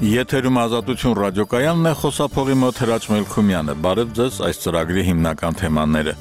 Եթերում Ազատություն ռադիոկայանն է, խոսափողի մոտ Հրաչ Մելքումյանը։ Բարև ձեզ, այս ծրագրի հիմնական թեմաները։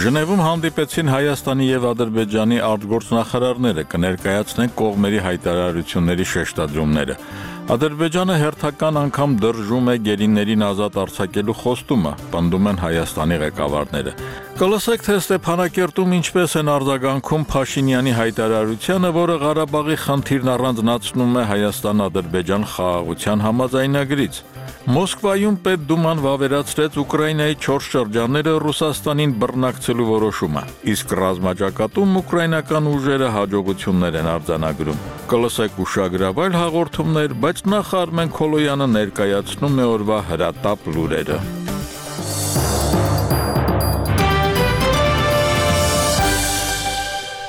Ժնևում հանդիպեցին Հայաստանի եւ Ադրբեջանի արտգործնախարարները, կներկայացնեն կողմերի հայտարարությունների շեշտադրումները։ Ադրբեջանը հերթական անգամ դրժում է գերիներին ազատ արձակելու խոստումը, պնդում են Հայաստանի ղեկավարները։ Կլսեք, թե Ստեփանակերտում ինչպես են արձագանքում Փաշինյանի հայտարարությանը, որը Ղարաբաղի խնդիրն առանձնացնում է Հայաստան-Ադրբեջան խաղաղության համաձայնագրից։ Մոսկվայում Պետդուման վավերացրեց Ուկրաինայի 4 շրջանները Ռուսաստանին բռնակցելու որոշումը, իսկ ռազմաճակատում ուկրաինական ուժերը հաջողություններ են արձանագրում։ Կլսեք ուշագրավայր հաղորդումներ, բայց նախ Արմեն Քոլոյանը ներկայացնում է օրվա հրատապ լուրերը։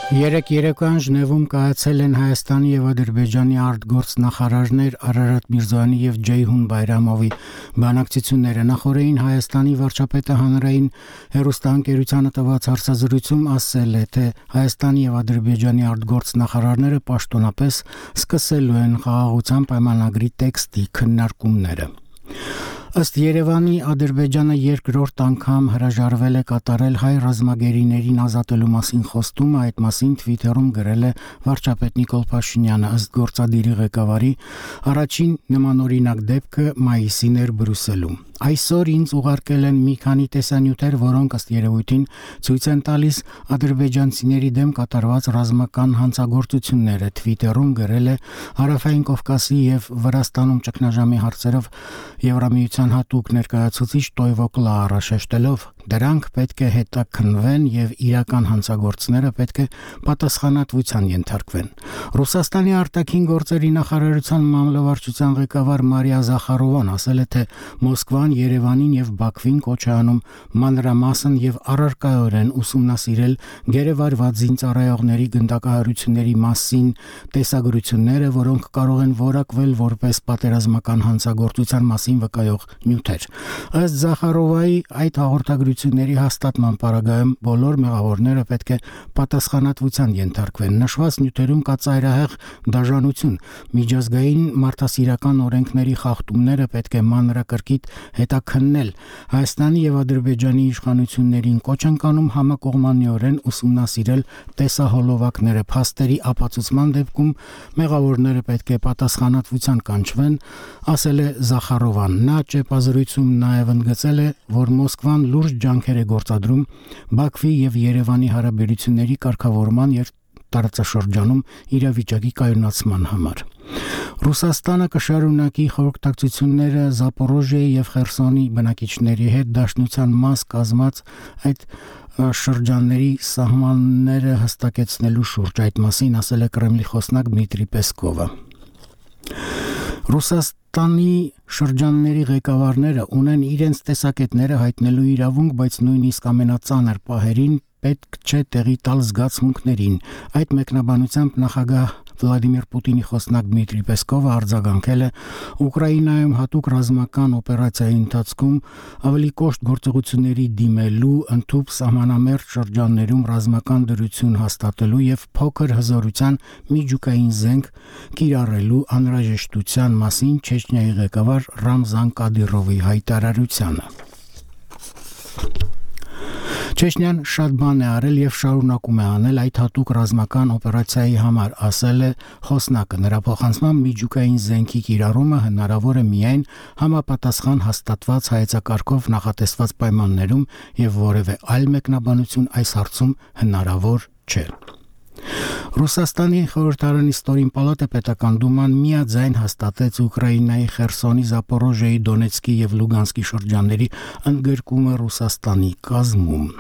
Երեկ երեկոյան Ժնևում կայացել են Հայաստանի եւ Ադրբեջանի արտգործնախարարներ Արարատ Միրզոյանի եւ Ջեյհուն Բայրամովի բանակցությունները։ Նախորդին Հայաստանի վարչապետը հանրային հեռուստաընկերությանը տված հարցազրույցում ասել է, թե Հայաստանի եւ Ադրբեջանի արտգործնախարարները պաշտոնապես սկսելու են խաղաղության պայմանագրի տեքստի քննարկումները։ Ըստ Երևանի, Ադրբեջանը երկրորդ անգամ հրաժարվել է կատարել հայ ռազմագերիներին ազատելու մասին խոստումը, այդ մասին Twitter-ում գրել է վարչապետ Նիկոլ Փաշինյանը, ըստ գործադիրի ղեկավարի, առաջին նմանօրինակ դեպքը մայիսին էր Բրյուսելում։ Այսօր ինձ ուղարկել են մի քանի տեսանյութեր, որոնք ըստ երևույթին ցույց են տալիս ադրբեջանցիների դեմ կատարված ռազմական հանցագործությունները, Twitter-ում գրել է Հարավային Կովկասի եւ Վրաստանում ճգնաժամի հարցերով Եվրամիության հատուկ ներկայացուցիչ Տոյվո Կլաարը, շեշտելով դրանք պետք է հետաքննվեն եւ իրական հանցագործները պետք է պատասխանատվության ենթարկվեն։ Ռուսաստանի արտաքին գործերի նախարարության մամլովարչության ղեկավար Մարիա Զախարովան ասել է, թե Մոսկվան Երևանին եւ Բաքվին կոչ է անում մանրամասն եւ առարկայորեն ուսումնասիրել գերեվարված զինծառայողների գնդակահարությունների մասին տեսագրությունները, որոնք կարող են որակվել որպես պատերազմական հանցագործության մասին վկայող նյութեր։ Ըստ Զախարովայի, այդ հաղորդագրությունների հաստատման պարագայում բոլոր մեղավորները պետք է պատասխանատվության ենթարկվեն։ Նշված նյութերում կա ծայրահեղ դաժանություն, միջազգային մարդասիրական օրենքների խախտումները պետք է մանրակրկիտ հետաքննել։ Հայաստանի եւ Ադրբեջանի իշխանություններին կոչ են կանում համակողմանիորեն ուսումնասիրել տեսահոլովակները, փաստերի ապացուցման դեպքում մեղավորները պետք է պատասխանատվության կանչվեն, ասել է Զախարովան։ Նա ճեպազրույցում նաեւ ընդգծել է, որ Մոսկվան լուրջ ջանքեր է գործադրում Բաքվի եւ Երևանի հարաբերությունների կարգավորման եւ տարածաշրջանում իրավիճակի կայունացման համար։ Ռուսաստանը կշարունակի խորհրդակցությունները Զապորոժիայի եւ Խերսոնի բնակիչների հետ դաշնության մաս կազմած այդ շրջանների սահմանները հստակեցնելու շուրջ, այդ մասին ասել է Կրեմլի խոսնակ Դմիտրի Պեսկովը։ Ռուսաստանի շրջանների ղեկավարները ունեն իրենց տեսակետները հայտնելու իրավունք, բայց նույնիսկ ամենածանր պահերին պետք չէ տեղի տալ զգացմունքներին։ Այդ մեկնաբանությամբ նախագահ Վլադիմիր Պուտինի խոսնակ Դմիտրի Պեսկովը արձագանքել է Ուկրաինայում հատուկ ռազմական օպերացիայի ընթացքում ավելի կոշտ գործողությունների դիմելու, ընդհանուր սահմանամերձ շրջաններում ռազմական դրություն հաստատելու եւ փոքր հզորության միջուկային զենք կիրառելու անհրաժեշտության մասին Չեչնիայի ղեկավար Ռամզան Կադիրովի հայտարարությանը։ Չեչնիան շատ բան է արել եւ շարունակում է անել այդ հատուկ ռազմական օպերացիայի համար, ասել է խոսնակը։ Նրա փոխանցմամբ միջուկային զենքի կիրառումը հնարավոր է միայն համապատասխան հաստատված հայեցակարգով նախատեսված պայմաններում եւ որևէ այլ մեկնաբանություն այս հարցում հնարավոր չէ։ Ռուսաստանի խորհրդարանի ստորին պալատը պետական դուման միաձայն հաստատեց Ուկրաինայի Խերսոնի, Զապորոժիայի, Դոնեցկի եւ Լուգանսկի շրջանների ընդգրկումը Ռուսաստանի կազմում։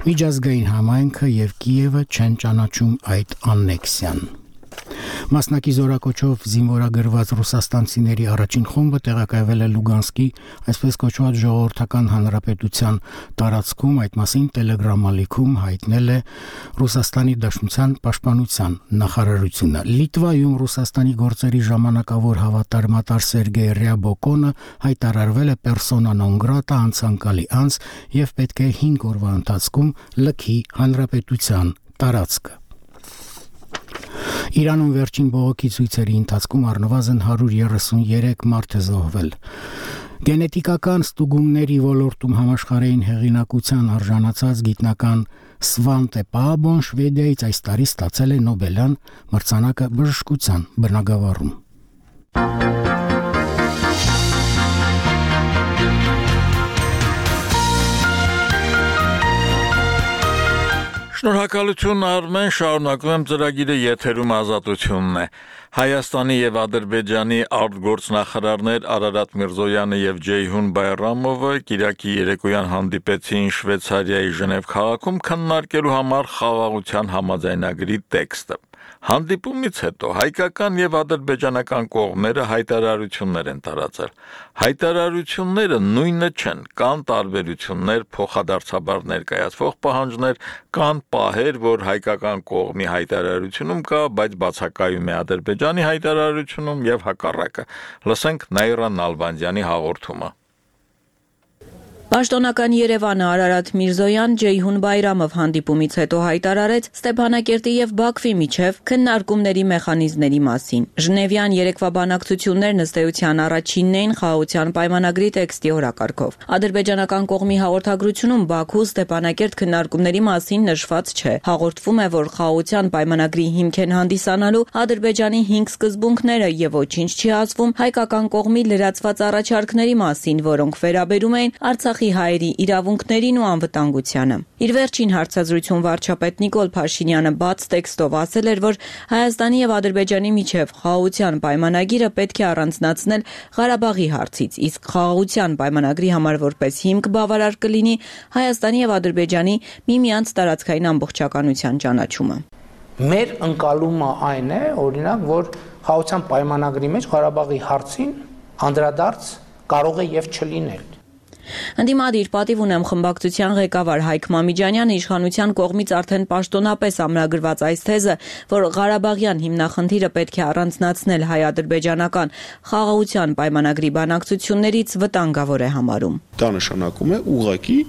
Միջազգային համայնքը եւ Կիևը չեն ճանաչում այդ աննեքսիան։ Մասնակի զորակոչով զինվորագրված ռուսաստանցիների առաջին խումբը տեղակայվել է Լուգանսկի, այսպես կոչված ժողովրդական հանրապետության տարածքում, այդ մասին Telegram-ալիքում հայտնել է Ռուսաստանի Դաշնության պաշտպանության նախարարությունը։ Լիտվայում Ռուսաստանի գործերի ժամանակավոր հավատարմատար Սերգեյ Ռյաբոկոնը հայտարարվել է persona non grata, անցանկալի անձ եւ պետք է 5 օրվա ընթացքում լքի հանրապետության տարածքը։ Իրանում վերջին բողոքի ցույցերի ընթացքում առնվազն 133 մարդ է զոհվել։ Գենետիկական ստուգումների ոլորտում համաշխարհային հեղինակության արժանացած գիտնական Svante Paabon Շվեդիայից այս տարի ստացել է Նոբելյան մրցանակը բժշկության բնագավառում։ Շնորհակալություն Արմեն, շարունակում եմ ծրագիրը եթերում ազատությունն է։ Հայաստանի եւ Ադրբեջանի արտգործնախարարներ Արարատ Միրզոյանը եւ Ջեյհուն Բայրամովը Կիրակի երեկոյան հանդիպեցին Շվեյցարիայի Ժնև քաղաքում քննարկելու համար խաղաղության համաձայնագրի տեքստը։ Հանդիպումից հետո հայկական եւ ադրբեջանական կողմերը հայտարարություններ են տարածել։ Հայտարարությունները նույնը չեն, կան տարբերություններ, փոխադարձաբար ներկայացվող պահանջներ, կան պահեր, որ հայկական կողմի հայտարարությունում կա, բայց բացակայում է Ադրբեջանի հայտարարությունում եւ հակառակը։ Լսենք Նաիրա Նալբանդյանի հաղորդումը։ Պաշտոնական Երևանը Արարատ Միրզոյան Ջեյհուն Բայրամով հանդիպումից հետո հայտարարեց Ստեփանակերտի եւ Բաքվի միջև քննարկումների մեխանիզմների մասին։ Ժնևյան երեկվա բանակցություններն ըստ էության առաջինն էին խաղաղության պայմանագրի տեքստի օրակարգով։ Ադրբեջանական կողմի հաղորդագրությունում Բաքու Ստեփանակերտ քննարկումների մասին նշված չէ։ Հաղորդվում է, որ խաղաղության պայմանագրի հիմք են հանդիսանալու Ադրբեջանի 5 սկզբունքները եւ ոչինչ չի ասվում հայկական կողմի լրացված առաջարկների մասին, որոնք վերաբերում էին Արցախի հայերի իրավունքներին ու անվտանգությանը։ Իր վերջին հարցազրույցում վարչապետ Նիկոլ Փաշինյանը բաց տեքստով ասել էր, որ Հայաստանի եւ Ադրբեջանի միջև խաղաղության պայմանագիրը պետք է առանձնացնել Ղարաբաղի հարցից, իսկ խաղաղության պայմանագրի համար որպես հիմք բավարար կլինի Հայաստանի եւ Ադրբեջանի միմյանց տարածքային ամբողջականության ճանաչումը։ Մեր ընկալումը այն է, օրինակ, որ խաղաղության պայմանագրի մեջ Ղարաբաղի հարցին անդրադարձ կարող է եւ չլինել։ Ընդդիմադիր պատիվ ունեմ խմբակցության ղեկավար Հայկ Մամիջանյանը իշխանության կողմից արդեն պաշտոնապես ամրագրված այս թեզը, որ Ղարաբաղյան հիմնախնդիրը պետք է առանձնացնել հայ-ադրբեջանական խաղաղության պայմանագրի բանակցություններից վտանգավոր է համարում։ Դա նշանակում է ուղղակի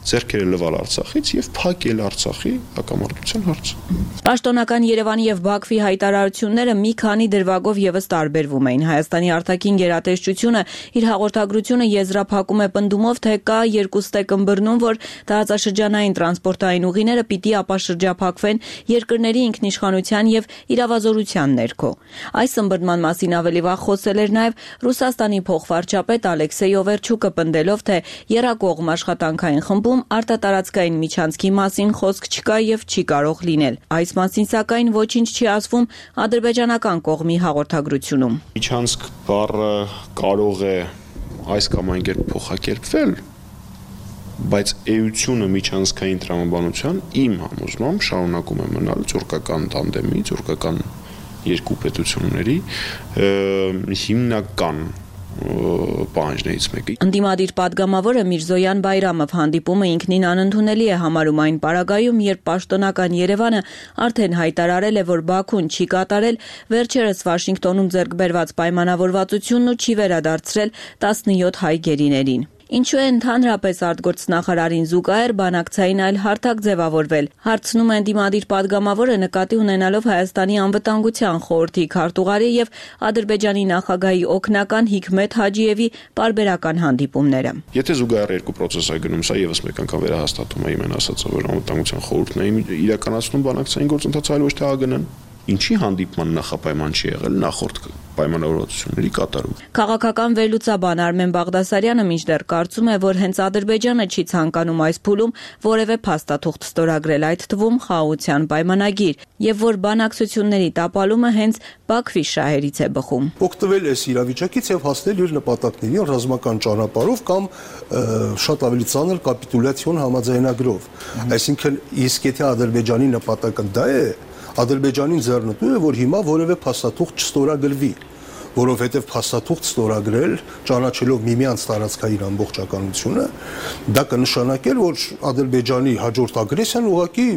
ձեռքերը լվալ Արցախից եւ փակել Արցախի հակամարտության հարցը։ Պաշտոնական Երևանի եւ Բաքվի հայտարարությունները մի քանի դրվագով եւս տարբերվում էին։ Հայաստանի արտաքին գերատեսչությունը իր հաղորդագրությունը եզրափակում է պնդումով, թե կա երկու ստեկ ըմբռնում, որ տարածաշրջանային տրանսպորտային ուղիները պիտի ապաշրջափակվեն երկրների ինքնիշխանության եւ իրավազորության ներքո։ Այս ըմբռնման մասին ավելի վաղ խոսել էր նաեւ Ռուսաստանի փոխվարչապետ Ալեքսեյ Օվերչուկը, պնդելով, թե երակողմ աշխատանքային խմբում արտատարածքային միջանցքի մասին խոսք չկա եւ չի կարող լինել։ Այս մասին սակայն ոչինչ չի ասվում ադրբեջանական կողմի հաղորդագրությունում։ Միջանցք բառը կարող է այս կամ այն կերպ փոխակերպվել, բայց էությունը միջանցքային տրամաբանության իմ համոզմամբ շարունակում է մնալ թուրքական տանդեմի, թուրքական երկու պետությունների հիմնական պահանջներից մեկը։ Ընդդիմադիր падգամավորը Միրզոյան Բայրամով հանդիպումը ինքնին անընդունելի է համարում այն պարագայում, երբ պաշտոնական Երևանը արդեն հայտարարել է, որ Բաքուն չի կատարել վերջերս Վաշինգտոնում ձեռք բերված պայմանավորվածությունն ու չի վերադարձրել 17 հայ գերիներին։ Ինչու է ընդհանրապես արտգործնախարարին զուգահեռ բանակցային այլ հարթակ ձևավորվել։ Հարցնում է ընդդիմադիր падգամավորը նկատի ունենալով Հայաստանի անվտանգության խորհրդի քարտուղարի եւ Ադրբեջանի նախագահի օգնական Հիկմետ Հաջիևի պարբերական հանդիպումները։ Եթե զուգահեռ երկու process է գնում, սա եւս մեկ անգամ վերահաստատում է իմ ասածը, որ անվտանգության խորհուրդն է իրականացնում բանակցային գործընթացը, այլ ոչ թե ԱԳՆ-ն։ Ինչի հանդիպման նախապայման չի եղել նախորդ պայմանավորվածությունների կատարում։ Քաղաքական վերլուծաբան Արմեն Բաղդասարյանը մինչդեռ կարծում է, որ հենց Ադրբեջանը չի ցանկանում այս փուլում որևէ փաստաթուղթ ստորագրել, այդ թվում խաղաղության պայմանագիր, եւ որ բանակցությունների տապալումը հենց Բաքվի շահերից է բխում։ Օգտվել այս իրավիճակից եւ հասնել իր նպատակներին ռազմական ճանապարհով կամ շատ ավելի ծանր կապիտուլյացիոն համաձայնագրով։ Այսինքն, իսկ եթե Ադրբեջանի նպատակը դա է, Ադրբեջանին ձեռնտու է, որ հիմա որևէ փաստաթուղթ չստորագրվի, որովհետև փաստաթուղթ ստորագրել, ճանաչելով միմյանց տարածքային ամբողջականությունը, դա կնշանակեր, որ Ադրբեջանի հաջորդ ագրեսիան ուղղակի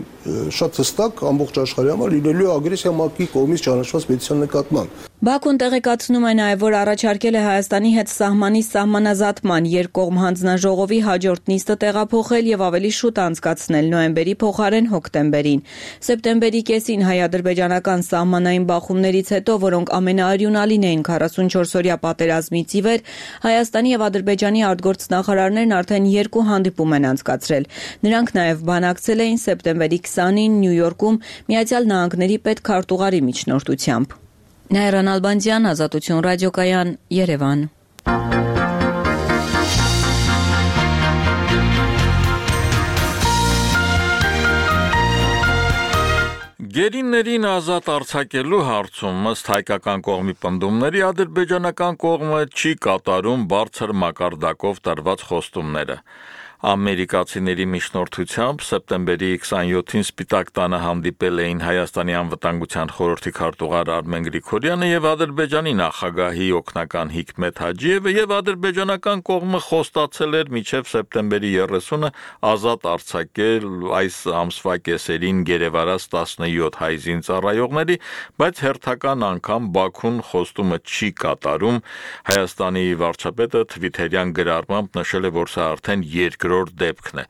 շատ հստակ ամբողջ աշխարհի համար լինելու է ագրեսիա ՄԱԿ-ի կողմից ճանաչված պետության նկատմամբ։ Բաքուն տեղեկացնում է նաև, որ առաջարկել է Հայաստանի հետ սահմանի սահմանազատման երկկողմ հանձնաժողովի հաջորդ նիստը տեղափոխել եւ ավելի շուտ անցկացնել նոյեմբերի փոխարեն հոկտեմբերին։ Սեպտեմբերի կեսին հայ-ադրբեջանական սահմանային բախումներից հետո, որոնք ամենաարյունալին էին 44-օրյա պատերազմից ի վեր, Հայաստանի եւ Ադրբեջանի արտգործնախարարներն արդեն 2 հանդիպում են անցկացրել։ Նրանք նաև բանակցել էին սեպտեմբերի 20-ին Նյու Յորքում Միացյալ Նահանգների պետքարտուղարի միջնորդությամբ։ Նայրան Ալբանդյան, Ազատություն ռադիոկայան, Երևան։ Գերիներին ազատ արձակելու հարցում ըստ հայկական կողմի պնդումների ադրբեջանական կողմը չի կատարում բարձր մակարդակով տրված խոստումները։ Ամերիկացիների միջնորդությամբ սեպտեմբերի 27-ին Սպիտակ տանը հանդիպել էին Հայաստանի անվտանգության խորհրդի քարտուղար Արմեն Գրիգորյանը եւ Ադրբեջանի նախագահի օգնական Հիկմետ Հաջիևը եւ ադրբեջանական կողմը խոստացել էր մինչեւ սեպտեմբերի 30-ը ազատ արձակել այս ամսվա կեսերին գերեվարած 17 հայ զինծառայողների, բայց հերթական անգամ Բաքուն խոստումը չի կատարում։ Հայաստանի վարչապետը թվիթերյան գրառմամբ նշել է, որ սա արդեն դեպքն է։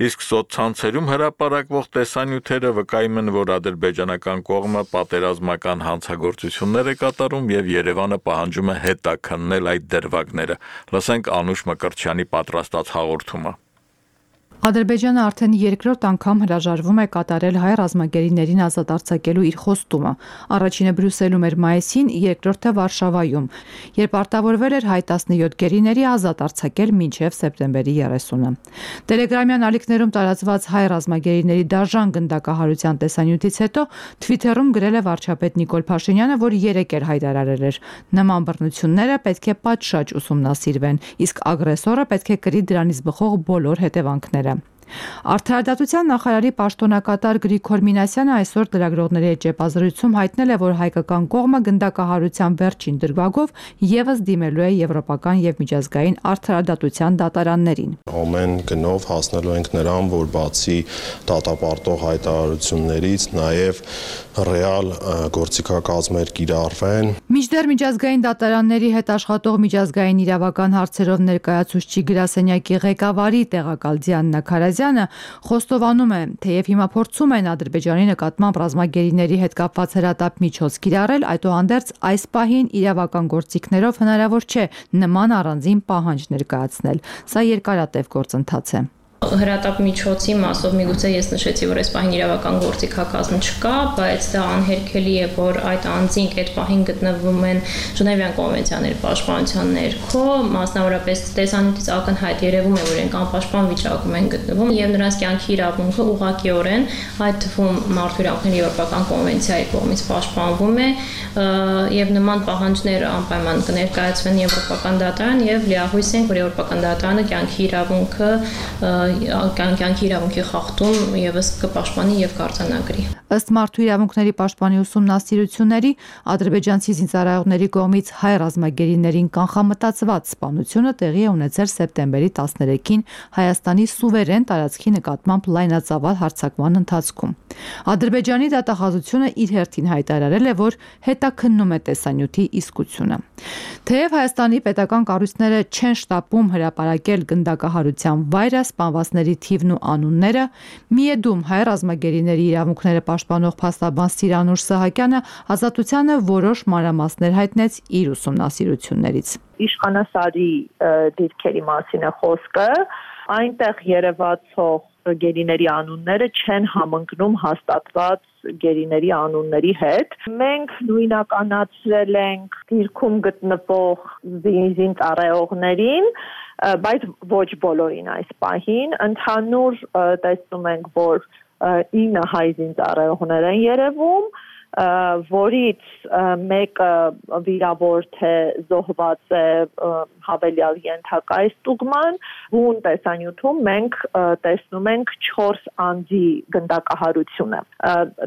Իսկ սոցցանցերում հրապարակվող տեսանյութերը վկայում են, որ ադրբեջանական կողմը պատերազմական հանցագործություններ է կատարում եւ Երևանը պահանջում է հետաքննել այդ դրվագները։ Լսենք Անուշ Մկրտչյանի պատրաստած հաղորդումը։ Ադրբեջանը արդեն երկրորդ անգամ հրաժարվում է կատարել հայ ռազմագերիներին ազատ արձակելու իր խոստումը։ Առաջինը Բրյուսելում էր մայիսին, երկրորդը Վարշավայում, երբ արտավորվել էր հայ 17 գերիների ազատ արձակել մինչև սեպտեմբերի 30-ը։ Տելեգրամյան ալիքներում տարածված հայ ռազմագերիների դաժան գնդակահարության տեսանյութից հետո Թվիթերում գրել է վարչապետ Նիկոլ Փաշինյանը, որ 3 էր հայտարարել էր. նման բռնությունները պետք է պատշաճ ուսումնասիրվեն, իսկ ագրեսորը պետք է կրի դրանից բխող բոլոր հետևանքները։ Արդարադատության նախարարի պաշտոնակատար Գրիգոր Մինասյանը այսօր լրագրողների հետ ճեպազրույցում հայտնել է, որ հայկական կողմը գնդակահարության վերջին դրվագով եւս դիմելու է եվրոպական եւ միջազգային արդարադատության դատարաններին։ Ամեն գնով հասնելու ենք նրան, որ բացի դատապարտող հայտարարություններից նաեւ ռեալ գործիքակազմեր կիրառվեն։ Մինչդեռ միջազգային դատարանների հետ աշխատող միջազգային իրավական հարցերով ներկայացուցիչ գրասենյակի ղեկավարի տեղակալ Դիանա Քարազյանը խոստովանում է, թեև հիմա փորձում են Ադրբեջանի նկատմամբ ռազմագերիների հետ կապված հրատապ միջոց կիրառել, այդուհանդերձ այս պահին իրավական գործիքներով հնարավոր չէ նման առանձին պահանջ ներկայացնել։ Սա երկարատև գործընթաց է։ Հրատապ միջոցի մասով միգուցե ես նշեցի, որ այս պահին իրավական գործիքակազմ չկա, բայց դա անհերքելի է, որ այդ անձինք այդ պահին գտնվում են Ժնևյան կոնվենցիաների պաշտպանության ներքո, մասնավորապես տեսանյութից ակնհայտ երևում է, որ իրենք անպաշտպան վիճակում են գտնվում եւ նրանց կյանքի իրավունքը ուղղակիորեն, այդ թվում մարդու իրավունքների եվրոպական կոնվենցիայի կողմից պաշտպանվում է եւ նման պահանջներ անպայման կներկայացվեն եվրոպական դատարան եւ լիահույս ենք, որ եվրոպական դատարանը կյանքի իրավունքի խախտում եւս կպաշտպանի եւ կարձանագրի։ Ըստ մարդու իրավունքների պաշտպանի ուսումնասիրությունների, ադրբեջանցի զինծառայողների կողմից հայ ռազմագերիներին կանխամտածված սպանությունը տեղի է ունեցել սեպտեմբերի 13-ին Հայաստանի սուվերեն տարածքի նկատմամբ լայնածավալ հարձակման ընթացքում։ Ադրբեջանի դատախազությունը իր հերթին հայտարարել է, որ հետաքննում է տեսանյութի իսկությունը։ Թեև Հայաստանի պետական կառույցները չեն շտապում հրապարակել գնդակահարության վայրը, սպանվածների թիվն ու անունները, միեդում հայ ռազմագերիների իրավունքները պաշտպանող փաստաբան Սիրանուշ Սահակյանը Ազատությանը որոշ մանրամասներ հայտնեց իր ուսումնասիրություններից։ Իշխանասարի դիրքերի մասին է խոսքը, այնտեղ երևացող գերիների անունները չեն համընկնում հաստատված գերիների անունների հետ։ Մենք նույնականացրել ենք դիրքում գտնվող զինծառայողներին, բայց ոչ բոլորին այս պահին։ Ընդհանուր տեսնում ենք, որ 9 հայ զինծառայողներ են երևում, որից մեկը վիրավոր թե զոհված է հավելյալ ենթակա է ստուգման, բուն տեսանյութում մենք տեսնում ենք 4 անձի գնդակահարությունը։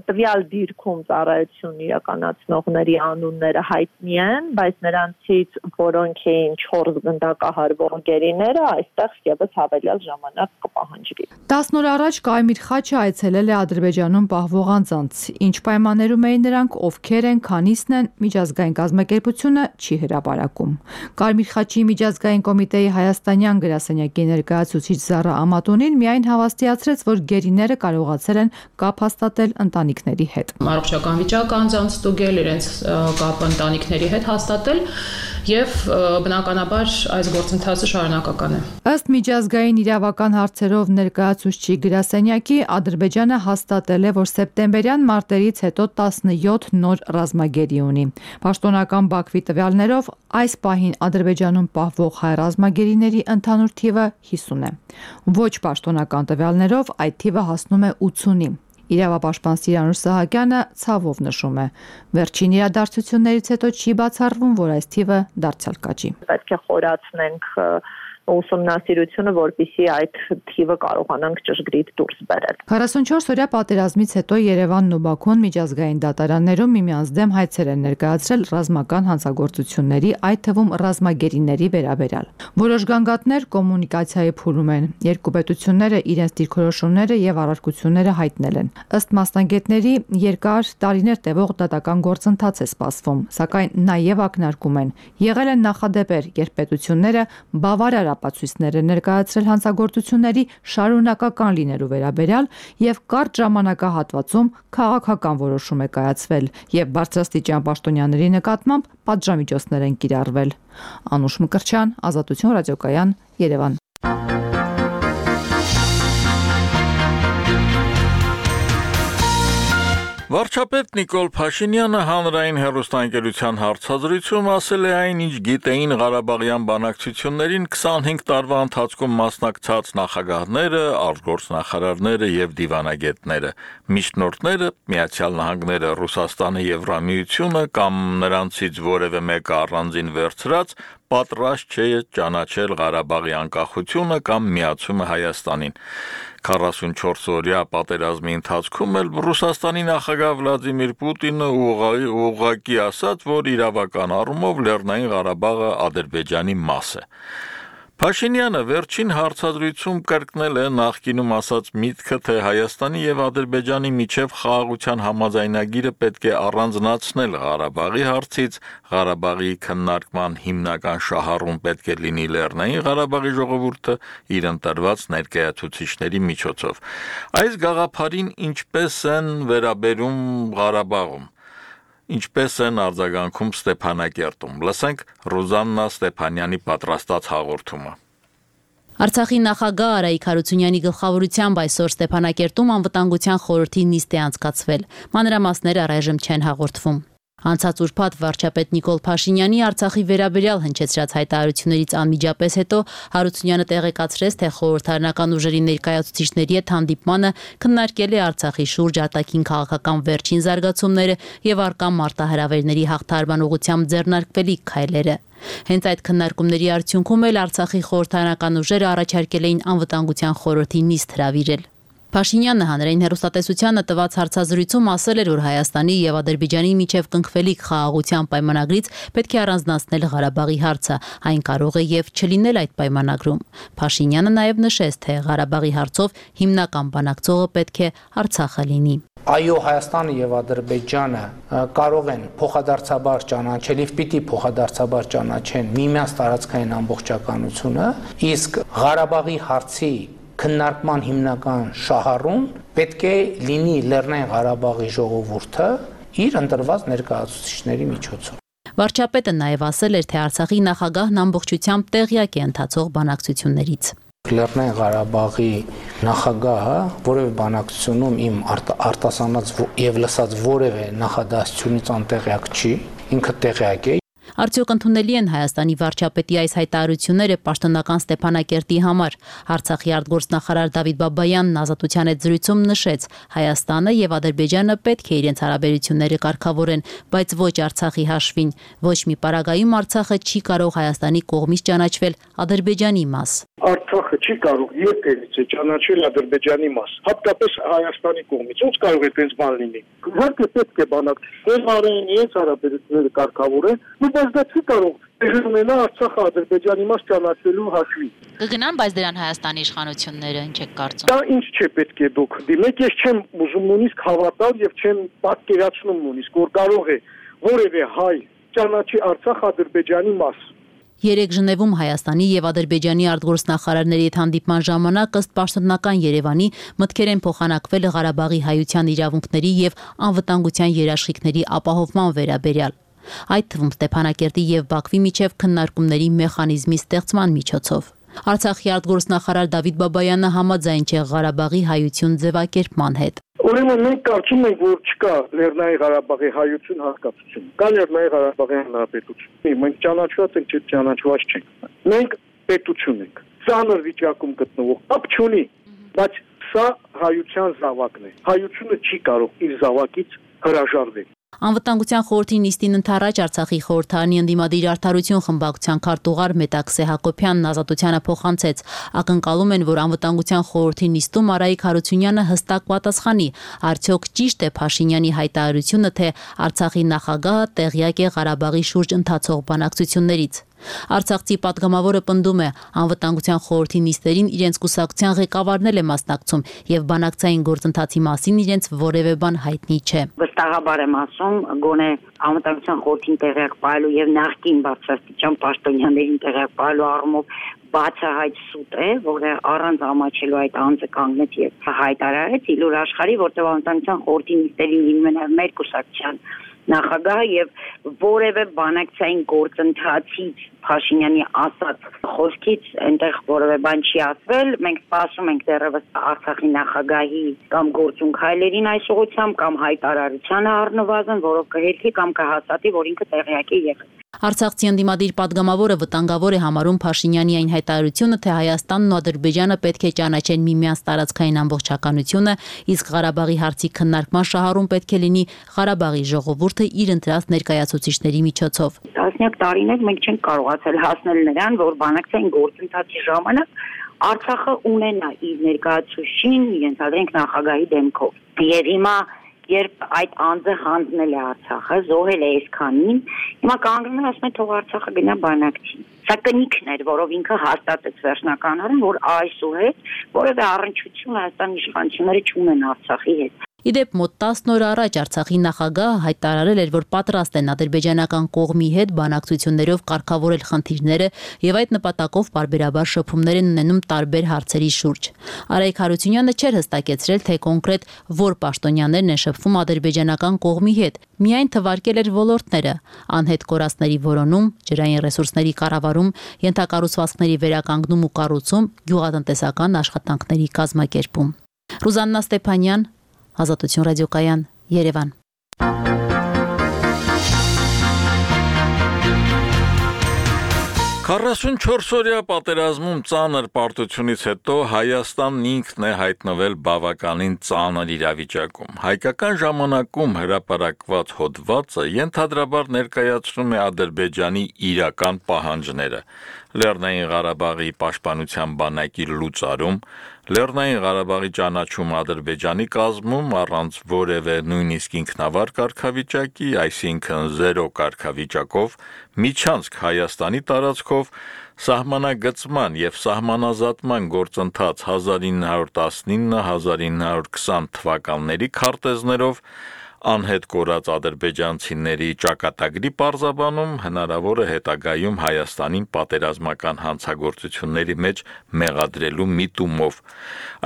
Տվյալ դիրքում ծառայություն իրականացնողների անունները հայտնի են, բայց նրանցից որոնք էին 4 գնդակահարվող գերիները, այստեղ եւս հավելյալ ժամանակ կպահանջվի։ 10 օր առաջ Կարմիր խաչը այցելել է Ադրբեջանում պահվող անձանց, ինչ պայմաններում էին նրանք, ովքեր են, քանիսն են, միջազգային կազմակերպությունը չի հրապարակում։ Կարմիր խաչի միջազգային կոմիտեի հայաստանյան գրասենյակի ներկայացուցիչ Զառա Ամատունին միայն հավաստիացրեց, որ գերիները կարողացել են կապ հաստատել ընտանիքների հետ։ Առողջական վիճակ անձանց ստուգել, իրենց կապը ընտանիքների հետ հաստատել եւ բնականաբար այս գործընթացը շարունակական է։ Ըստ միջազգային իրավական հարցերով ներկայացուցչի գրասենյակի Ադրբեջանը հաստատել է, որ սեպտեմբերյան մարտերից հետո 17 նոր ռազմագերի ունի։ Պաշտոնական Բաքվի տվյալներով այս պահին Ադրբեջանում պահվող հայ ռազմագերիների ընդհանուր թիվը 50 է։ Ոչ պաշտոնական տվյալներով այդ թիվը հասնում է 80-ի։ Իրավապաշտպան Սիրանուշ Սահակյանը ցավով նշում է. վերջին իրադարձություններից հետո չի բացառվում, որ այս թիվը դարձյալ կաճի։ Պետք է խորացնենք ուսումնասիրությունը, որպեսզի այդ թիվը կարողանանք ճշգրիտ դուրս բերել։ 44-օրյա պատերազմից հետո Երևանն ու Բաքուն միջազգային դատարաններում միմյանց դեմ հայցեր են ներկայացրել ռազմական հանցագործությունների, այդ թվում ռազմագերիների վերաբերյալ։ Որոշ գանգատներ կոմունիկացիայի փուլում են։ Երկու պետությունները իրենց դիրքորոշումները եւ առարկությունները հայտնել են։ Ըստ մասնագետների, երկար տարիներ տևող դատական գործընթաց է սպասվում, սակայն նաեւ ակնարկում են։ Եղել են նախադեպեր, երբ պետությունները բավարար ապացույցներ է ներկայացրել հանցագործությունների շարունակական լինելու վերաբերյալ եւ կարճ ժամանակահատվածում քաղաքական որոշում է կայացվել եւ բարձրաստիճան պաշտոնյաների նկատմամբ պատժամիջոցներ են կիրառվել։ Անուշ Մկրտչյան, Ազատություն ռադիոկայան, Երևան։ Վարչապետ Նիկոլ Փաշինյանը հանրային հեռուստաընկերության հարցազրույցում ասել է այն, ինչ գիտեին Ղարաբաղյան բանակցություններին 25 տարվա ընթացքում մասնակցած նախագահները, արտգործնախարարները եւ դիվանագետները, միջնորդները, Միացյալ Նահանգները, Ռուսաստանը, Եվրամիությունը կամ նրանցից որևէ մեկը առանձին վերցրած պատրաստ չէ ճանաչել Ղարաբաղի անկախությունը կամ միացումը Հայաստանին։ 44-օրյա պատերազմի ընթացքում էլ Ռուսաստանի նախագահ Վլադիմիր Պուտինը ուղղակի ասաց, որ իրավական առումով Լեռնային Ղարաբաղը Ադրբեջանի մաս է։ Փաշինյանը վերջին հարցազրույցում կրկնել է նախկինում ասած միտքը, թե Հայաստանի եւ Ադրբեջանի միջև խաղաղության համաձայնագիրը պետք է առանձնացնել Ղարաբաղի հարցից, Ղարաբաղի քննարկման հիմնական շահառուն պետք է լինի Լեռնային Ղարաբաղի ժողովուրդը իր ընտրված ներկայացուցիչների միջոցով։ Այս գաղափարին ինչպես են վերաբերում Ղարաբաղում, ինչպես են արձագանքում Ստեփանակերտում։ Լսենք Ռուզաննա Ստեփանյանի պատրաստած հաղորդումը։ Արցախի նախագահ Արայիկ Հարությունյանի գլխավորությամբ այսօր Ստեփանակերտում անվտանգության խորհրդի նիստ է անցկացվել։ Մանրամասները առայժմ չեն հաղորդվում։ Անցած ուրբաթ վարչապետ Նիկոլ Փաշինյանի Արցախի վերաբերյալ հնչեցրած հայտարարություններից անմիջապես հետո Հարությունյանը տեղեկացրեց, թե խորհրդարանական ուժերի ներկայացուցիչների հետ հանդիպմանը քննարկել է Արցախի շուրջ արտաքին քաղաքական վերջին զարգացումները եւ առկա մարտահրավերների հաղթահարման ուղղությամբ ձեռնարկվելիք քայլերը։ Հենց այդ քննարկումների արդյունքում էլ Արցախի խորհրդարանական ուժերը առաջարկել էին անվտանգության խորհրդի նիստ հրավիրել։ Փաշինյանը հանրային հեռուստատեսությանը տված հարցազրույցում ասել էր, որ Հայաստանի եւ Ադրբեջանի միջև կնքվելիք խաղաղության պայմանագրից պետք է առանձնացնել Ղարաբաղի հարցը, այն կարող է եւ չլինել այդ պայմանագրում։ Փաշինյանը նաեւ նշեց, թե Ղարաբաղի հարցով հիմնական բանակցողը պետք է Արցախը լինի։ Այո, Հայաստանը եւ Ադրբեջանը կարող են փոխադարձաբար ճանաչել եւ պիտի փոխադարձաբար ճանաչեն միմյանց տարածքային ամբողջականությունը, իսկ Ղարաբաղի հարցի քննարկման հիմնական շահառուն պետք է լինի Լեռնային Ղարաբաղի ժողովուրդը իր ընտրված ներկայացուցիչների միջոցով։ Վարչապետը նաև ասել էր, թե Արցախի նախագահն ամբողջությամբ տեղյակ է ընթացող բանակցություններից։ Լեռնային Ղարաբաղի նախագահը որևէ բանակցությունում իմ արտասանած եւ լսած որևէ նախադասությունից անտեղյակ չի, ինքը տեղյակ է։ Արդյոք ընդունելի են Հայաստանի վարչապետի այս հայտարարությունները պաշտոնական Ստեփանակերտի համար։ Արցախի արտգործնախարար Դավիթ Բաբայանն Ազատության հետ զրույցում նշեց, Հայաստանը եւ Ադրբեջանը պետք է իրենց հարաբերությունները կարգավորեն, բայց ոչ Արցախի հաշվին։ Ոչ մի պարագայում Արցախը չի կարող Հայաստանի կողմից ճանաչվել Ադրբեջանի մաս։ Արցախը չի կարող երբևիցե ճանաչել Ադրբեջանի մաս, հատկապես Հայաստանի կողմից։ Ոնց կարող է այդպես բան լինի։ Իհարկե պետք է բանակցել արեն, իրենց հարաբերությունները կարգավորեն, բայց բայց դա չի կարող տեղի ունենա Արցախը Ադրբեջանի մաս ճանաչելու հաշվին։ Կգնան, բայց դրան Հայաստանի իշխանությունները ինչ եք կարծում։ Դա ինչ չէ պետք է դուք դիմեք, ես չեմ ուզում նույնիսկ հավատալ եւ չեմ պատկերացնում նույնիսկ, որ կարող է որևէ հայ ճանաչի Արցախ Ադրբեջանի մաս։ Երեք Ժնևում Հայաստանի եւ Ադրբեջանի արտգործնախարարների հետ հանդիպման ժամանակ ըստ պաշտոնական Երևանի մտքեր են փոխանակվել Ղարաբաղի հայության իրավունքների եւ անվտանգության երաշխիքների ապահովման վերաբերյալ, այդ թվում Ստեփանակերտի եւ Բաքվի միջև քննարկումների մեխանիզմի ստեղծման միջոցով։ Արցախի արտգործնախարար Դավիթ Բաբայանը համաձայն չէ Ղարաբաղի հայություն ձևակերպման հետ։ Ուրեմն մենք կարծում ենք, որ չկա Լեռնային Ղարաբաղի հայություն հատկացություն, կա Լեռնային Ղարաբաղի հանրապետություն։ Մենք ճանաչված ենք, չէ ճանաչված չենք։ Մենք պետություն ենք, ծանր վիճակում գտնվող, կապ չունի, բայց սա հայության զավակն է։ Հայությունը չի կարող իր զավակից հրաժարվել։ Անվտանգության խորհրդի նիստին ընթരാճ Արցախի խորհրդարանի ընդդիմադիր արդարություն խմբակցության քարտուղար Մետաքսե Հակոբյանն Ազատությանը փոխանցեց։ Ակնկալում են, որ անվտանգության խորհրդի նիստում Արայիկ Հարությունյանը հստակ պատասխանի, արդյոք ճիշտ է Փաշինյանի հայտարարությունը, թե Արցախի նախագահը տեղյակ է Ղարաբաղի շուրջ ընթացող բանակցություններից։ Արցախցի պատգամավորը պնդում է, անվտանգության խորհրդի նիստերին իրենց կուսակցության ղեկավարն է մասնակցում եւ բանակցային գործընթացի մասին իրենց որևէ բան հայտնի չէ։ Վստահաբար եմ ասում, գոնե անվտանգության խորհրդին տեղյակ պահելու եւ նախկին բարձրաստիճան պաշտոնյաներին տեղյակ պահելու առումով բացահայտ սուտ է, որը առանց ամաչելու այդ անձը կանգնեց եւ հայտարարեց իլուր աշխարհի, որտեղ անվտանգության խորհրդի նիստերին լինում են մեր կուսակցության նախագահը եւ որևէ բանակցային գործընթացից Փաշինյանի ասած խոսքից այնտեղ որևէ բան չի ասվել։ Մենք սպասում ենք դեռևս Արցախի նախագահի կամ գործունք հայլերին այս ուղղությամբ կամ հայտարարությանը առնվազն, որով կհերքի կամ կհաստատի, որ ինքը տեղյակ է եղել։ Արցախցի ընդդիմադիր պատգամավորը վտանգավոր է համարում Փաշինյանի այն հայտարարությունը, թե Հայաստանն ու Ադրբեջանը պետք է ճանաչեն միմյանց տարածքային ամբողջականությունը, իսկ Ղարաբաղի հարցի քննարկման շահառուն պետք է լինի Ղարաբաղի ժողովուրդը իր ընտրած ներկայացուցիչների միջոցով։ Տասնյակ տարիներ մենք չենք կարողացել հասնել նրան, որ բանակցային գործընթացի ժամանակ Արցախը ունենա իր ներկայացուցիչին, իրենց adrենք նախագահի դեմքով։ Եվ հիմա երբ այդ անձը հանձնել է Արցախը, զոհել է այսքանին, հիմա կանգնում է ասում է թող Արցախը գնա բանակցի։ Սա կնիքն էր, որով ինքը հաստատեց վերջնականորեն, որ այսուհետ որևէ առնչություն Հայաստանի իշխանությունները չունեն Արցախի հետ։ Իդեպ մոտ 10 օր առաջ Արցախի նախագահը հայտարարել էր, որ պատրաստ են ադրբեջանական կողմի հետ բանակցություններով կարգավորել խնդիրները եւ այդ նպատակով պարբերաբար շփումներ են ունենում տարբեր հարցերի շուրջ։ Արայիկ Հարությունյանը չէր հստակեցրել, թե կոնկրետ որ պաշտոնյաներն են շփվում ադրբեջանական կողմի հետ, միայն թվարկել էր ոլորտները՝ անհետ կորածների որոնում, ջրային ռեսուրսների կառավարում, ենթակառուցվածքների վերականգնում ու կառուցում, գյուղատնտեսական աշխատանքների կազմակերպում։ Ռուզաննա Ստեփանյան, Ազատություն ռադիոկայան, Երևան։ Քառասունչորսօրյա պատերազմում ծանր պարտությունից հետո Հայաստանն ինքն է հայտնվել բավականին ծանր իրավիճակում։ Հայկական ժամանակում հրապարակված հոդվածը ենթադրաբար ներկայացնում է Ադրբեջանի իրական պահանջները։ Լեռնային Ղարաբաղի պաշտպանության բանակի լուծարում, Լեռնային Ղարաբաղի ճանաչում Ադրբեջանի կազմում առանց որևէ նույնիսկ ինքնավար կարգավիճակի, այսինքն զերո կարգավիճակով, միջանցք Հայաստանի տարածքով, սահմանագծման եւ սահմանազատման գործընթաց 1919-1920 թվականների քարտեզներով անհետ կորած ադրբեջանցիների ճակատագրի պարզաբանում հնարավոր է հետագայում Հայաստանին պատերազմական հանցագործությունների մեջ մեղադրելու միտումով։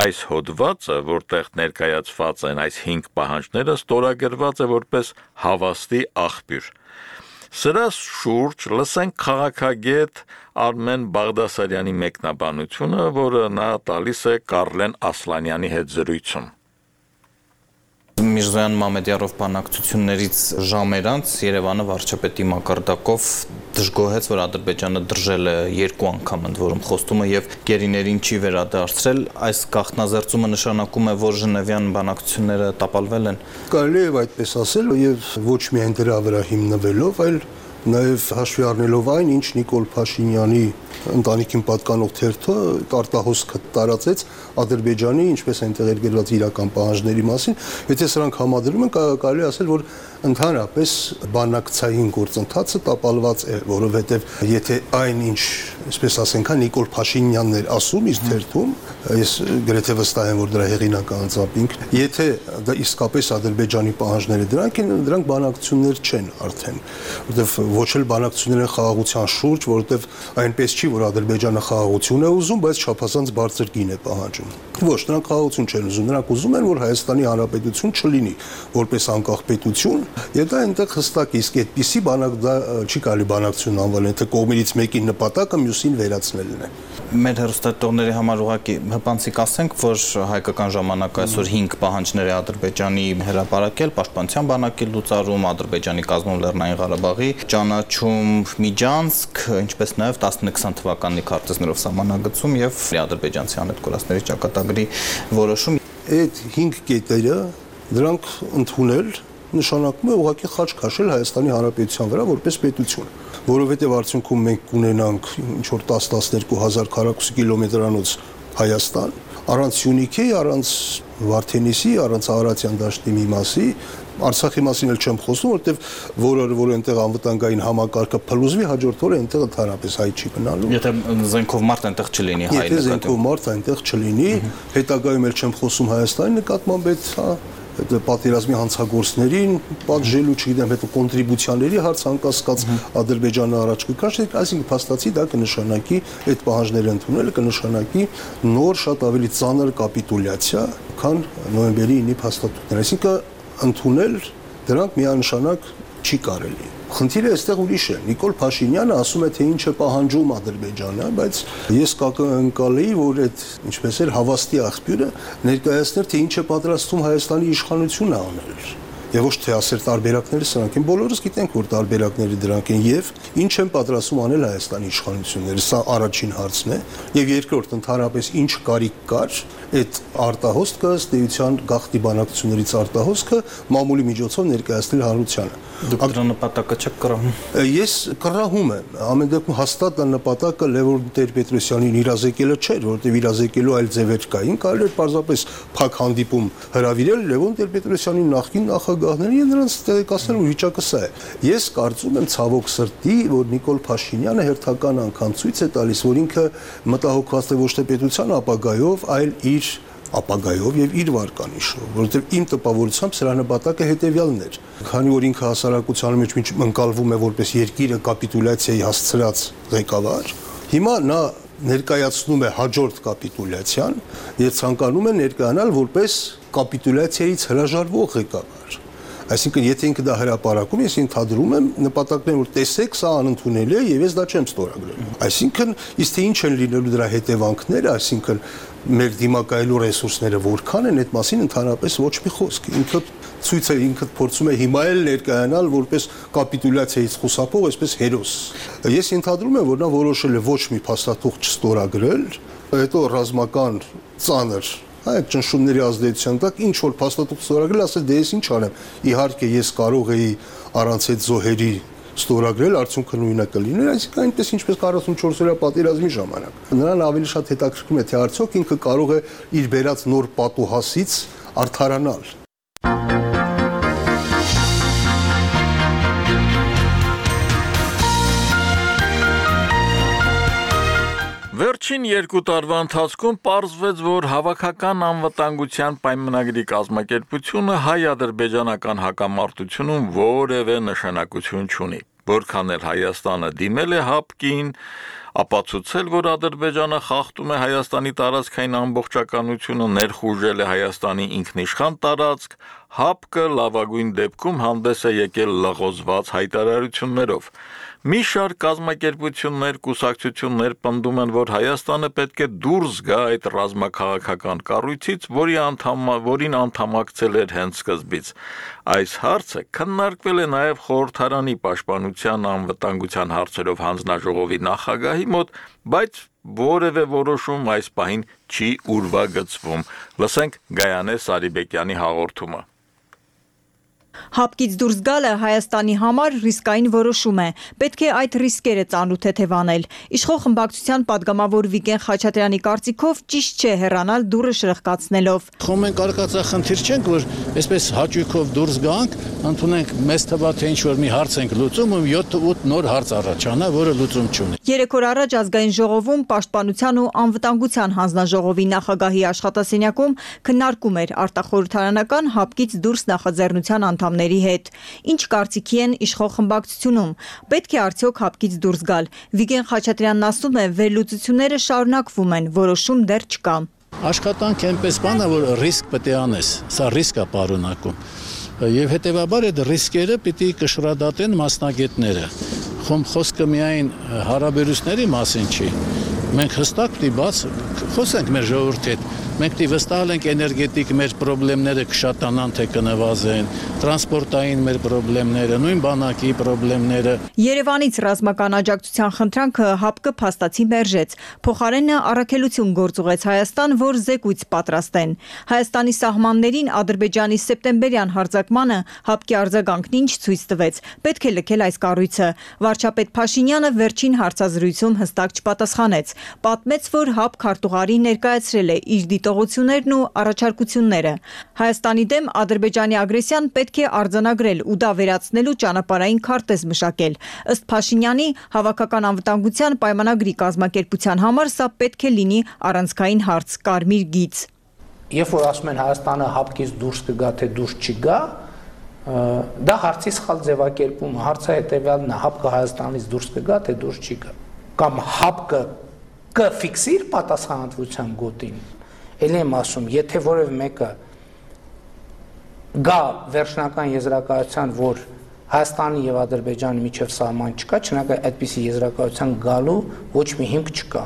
Այս հոդվածը, որտեղ ներկայացված են այս 5 պահանջները, ստորագրված է որպես հավաստի աղբյուր։ Սրա շուրջ լսենք քաղաքագետ Արմեն Բաղդասարյանի մեկնաբանությունը, որը նա տալիս է Կարլեն Ասլանյանի հետ զրույցում։ Միրզոյան Մամեդյարով բանակցություններից ժամեր անց Երևանը վարչապետի մակարդակով դժգոհեց, որ Ադրբեջանը դրժել է 2 անգամ ընդ որում խոստումը եւ գերիներին չի վերադարձրել։ Այս գաղտնազերծումը նշանակում է, որ Ժնևյան բանակցությունները տապալվել են։ Կարելի է այդպես ասել եւ ոչ միայն դրա վրա հիմնվելով, այլ նաև հաշվի առնելով այն, ինչ Նիկոլ Փաշինյանի ընտանիքին պատկանող թերթը արտահոսքը տարածեց Ադրբեջանի, ինչպես այնտեղ էր գրված իրական պահանջների մասին, եթե սրանք համադրում են, կարելի ասել, որ ընդհանրապես բանակցային գործընթացը տապալված է, որովհետև եթե այնինչ, այսպես ասենք, Նիկոլ Փաշինյանն էր ասում իր թերթում, ես գրեթե վստահ եմ, որ դրա հեղինակը անձամբ եթե դա իսկապես Ադրբեջանի պահանջները դրանք բանակցություններ չեն արդեն, որովհետև ոչ էլ բանակցություններ են խաղաղության շուրջ, որովհետև այնպես չի, որ Ադրբեջանը խաղաղություն է ուզում, բայց չափազանց բարձր գին է պահանջում։ Ոչ, նրանք խաղաղություն չեն ուզում, նրանք ուզում են, որ Հայաստանի Հանրապետություն չլինի որպես անկախ պետություն, եւ դա այնտեղ հստակ իսկ այդպիսի դա չի կարելի բանակցություն անվանել, թե կողմերից մեկի նպատակը մյուսին վերացնելն է։ Մեր հեռուստատողների համար ուղղակի հպանցիկ ասենք, որ հայկական ժամանակը այսօր 5 պահանջներ է Ադրբեջանի հրապարակել, պաշտպանության բանակի լուծարում, Ադրբեջանի կազմում Լեռնային Ղարաբաղի ճանաչում Միջանցք, ինչպես նաև 19-20 թվականի քարտեզներով սահմանագծում եւ ադրբեջանցի անհետքորածների ճակատագրի որոշում։ Այդ 5 կետերը դրանք ընդունել նշանակում է ուղղակի խաչ քաշել Հայաստանի Հանրապետության վրա որպես պետություն, որովհետև արդյունքում մենք կունենանք ինչ որ 10-12 քառակուսի կիլոմետրանոց Հայաստան, առանց Սյունիքի, առանց Վարդենիսի, առանց Արարատյան դաշտի մի մասի, Արցախի մասին էլ չեմ խոսում, որտեղ որ այնտեղ անվտանգային համակարգը փլուզվի, հաջորդ օրը այնտեղ ընդհանրապես հայ չի գնալու։ Եթե զենքով մարդ այնտեղ չլինի, հայ Եթե զենքով մարդ այնտեղ չլինի, հետագայում էլ չեմ խոսում Հայաստանի նկատմամբ այդ պատերազմի հանցագործներին պատժելու, չգիտեմ, հետո կոնտրիբուցիաների հարց անկասկած Ադրբեջանը առաջ կքաշի, այսինքն փաստացի դա կնշանակի այդ պահանջները ընդունելը կնշանակի նոր շատ ավելի ծանր կապիտուլյացիա, քան նոյեմբերի 9-ի փաստաթուղթները, այսինքն ընդունել դրանք միանշանակ չի կարելի։ Խնդիրը այստեղ ուրիշ է։ Նիկոլ Փաշինյանը ասում է, թե ինչ է պահանջում Ադրբեջանը, բայց ես կընկալեի, որ այդ ինչպես էր հավաստի աղբյուրը ներկայացներ, թե ինչ է պատրաստում Հայաստանի իշխանությունը անել։ Եվ ոչ թե ասել տարբերակները սրանք են, բոլորս գիտենք, որ տարբերակները դրանք են եւ ինչ են պատրաստում անել Հայաստանի իշխանությունները, սա առաջին հարցն է, եւ երկրորդ ընդհանրապես ինչ կարիք կար այդ արտահոսքը, ըստ էության գաղթի բանակցություններից արտահոսքը մամուլի միջոցով ներկայացնել հանրությանը։ Դուք դրա նպատակը չեք կռահում։ Ես կռահում եմ, ամեն դեպքում հաստատ դա նպատակը Լևոն Տեր-Պետրոսյանին իրազեկելը չէր, որովհետև իրազեկելու այլ ձևեր կային, կարելի էր պարզապես փակ հանդիպում հրավիրել Լևոն Տեր-Պետրոսյանին նախկին նախագահներին եւ նրանց տեղեկացնել, որ վիճակը սա է։ Ես կարծում եմ ցավոք սրտի, որ Նիկոլ Փաշինյանը հերթական անգամ ցույց է տալիս, որ ինքը մտահոգված է ոչ թե պետության ապագայով, այլ իր ապագայով եւ իր վարկանիշով, որովհետեւ իմ տպավորությամբ սրա նպատակը հետեւյալն էր։ Քանի որ ինքը հասարակության մեջ ընկալվում է որպես երկիրը կապիտուլյացիայի հասցրած ղեկավար, հիմա նա ներկայացնում է հաջորդ կապիտուլյացիան եւ ցանկանում է ներկայանալ որպես կապիտուլյացիայից հրաժարվող ղեկավար։ Այսինքն, եթե ինքը դա հրապարակում, ես ընդհանրում եմ նպատակներն, որ տեսեք, սա անընդունել է եւ ես դա չեմ ստորագրել։ Այսինքն, իսկ թե ինչ են լինելու դրա հետևանքները, այսինքն մեր դիմակայելու ռեսուրսները որքան են, այդ մասին ընդհանրապես ոչ մի խոսք։ Ինքը փորձում է հիմա էլ ներկայանալ որպես կապիտուլյացիայից խուսափող, այսպես հերոս։ Ես ընդհանրում եմ, որ նա որոշել է ոչ մի փաստաթուղթ չստորագրել, հետո ռազմական ծանր այդ ճնշումների ազդեցության տակ ինչ որ փաստաթուղթ ստորագրել, ասել դե ես ինչ անեմ։ Իհարկե ես կարող էի առանց այդ զոհերի ստորագրել, արդյունքը նույնը կլիներ, այսինքն այնպես ինչպես 44-օրյա պատերազմի ժամանակ։ Նրան ավելի շատ հետաքրքրում է, թե արդյոք ինքը կարող է իր բերած նոր պատուհասից արդարանալ։ Վերջին 2 տարվա ընթացքում պարզվեց, որ հավաքական անվտանգության պայմանագրի կազմակերպությունը հայ-ադրբեջանական հակամարտությունում որևէ նշանակություն չունի։ Որքան էլ Հայաստանը դիմել է ՀԱՊԿ-ին, ապացուցել, որ Ադրբեջանը խախտում է Հայաստանի տարածքային ամբողջականությունը, ներխուժել է Հայաստանի ինքնիշխան տարածք, ՀԱՊԿ-ը լավագույն դեպքում հանդես է եկել լղոզված հայտարարություններով։ Մի շարք կազմակերպություններ, կուսակցություններ պնդում են, որ Հայաստանը պետք է դուրս գա այդ ռազմաքաղաքական կառույցից, որին անդամակցել էր հենց սկզբից։ Այս հարցը քննարկվել է նաև խորհրդարանի պաշտպանության անվտանգության հարցերով հանձնաժողովի նախագահի մոտ, բայց որևէ որոշում այս պահին չի ուրվագծվում։ Լսենք Գայանե Սարիբեկյանի հաղորդումը։ Հապկից դուրս գալը Հայաստանի համար ռիսկային որոշում է։ Պետք է այդ ռիսկերը ծանոթ թեթևանել։ Իշխող խմբակցության падգամավոր Վիգեն Խաչատրյանի կարծիքով ճիշտ չէ հեռանալ դուռը շրխկացնելով։ Խոմ ենք արկածախնդիր չենք, որ այսպես հաճույքով դուրս գանք, ընդունենք մեծ թվա թե ինչ-որ մի հարց ենք լուծում, ու 7-8 նոր հարց առաջանա, որը լուծում չունի։ 3 օր առաջ ազգային ժողովում Պաշտպանության ու անվտանգության հանձնաժողովի նախագահի աշխատասենյակում քննարկում էր արտախորհրդարանական հապկից դուրս նախաձեռնության անդամների հետ։ Ինչ կարծիքի են իշխող խմբակցությունում։ Պետք է արդյոք հապկից դուրս գալ։ Վիգեն Խաչատրյանն ասում է, վերլուծությունները շարունակվում են, որոշում դեռ չկա։ Աշխատանք այնպես բան է, որ ռիսկ պետք է անես, սա ռիսկ է պարունակում։ Եվ հետևաբար այդ ռիսկերը պիտի կշռադատեն մասնագետները։ Խոսքը միայն հարաբերությունների մասին չի։ Մենք հստակ պիտի բաց խոսենք մեր ժողովրդի հետ։ Մենք պիտի վստահենք էներգետիկ մեր խնդիրները կշատանան թե կնվազեն, տրանսպորտային մեր խնդիրները, նույն բանակի խնդիրները։ Երևանից ռազմական աջակցության խնդրանքը հապկը փաստացի մերժեց։ Փոխարենը առաքելություն գործուղեց Հայաստան, որ զեկույց պատրաստեն։ Հայաստանի սահմաններին Ադրբեջանի սեպտեմբերյան հարձակմանը հապկի արձագանքն ինչ ցույց տվեց։ Պետք է լքել այս կառույցը։ Վարչապետ Փաշինյանը վերջին հարցազրույցում հստակ չպատասխանեց։ Պատմեց, որ հապ քարտուղարի ներկայացրել է իր դիտողություններն ու առաջարկությունները։ Հայաստանի դեմ Ադրբեջանի ագրեսիան պետք է արձանագրել ու դա վերացնելու ճանապարհային քարտեզ մշակել։ Ըստ Փաշինյանի, հավաքական անվտանգության պայմանագրի կազմակերպության համար սա պետք է լինի առանցքային հարց, կարմիր գիծ։ Երբ որ ասում են Հայաստանը հապկից դուրս կգա թե դուրս չգա, դա հարցի սխալ ձևակերպում, հարցը հետևյալն է, հապկը Հայաստանից դուրս կգա թե դուրս չի գա, կամ հապկը կֆիքսիր պատասխանատվության գոտին։ Էլ եմ ասում, եթե որևէ մեկը գա վերջնական եզրակացության, որ Հայաստանի եւ Ադրբեջանի միջև սահման չկա, չնայած այդպիսի եզրակացության գալու ոչ մի հիմք չկա։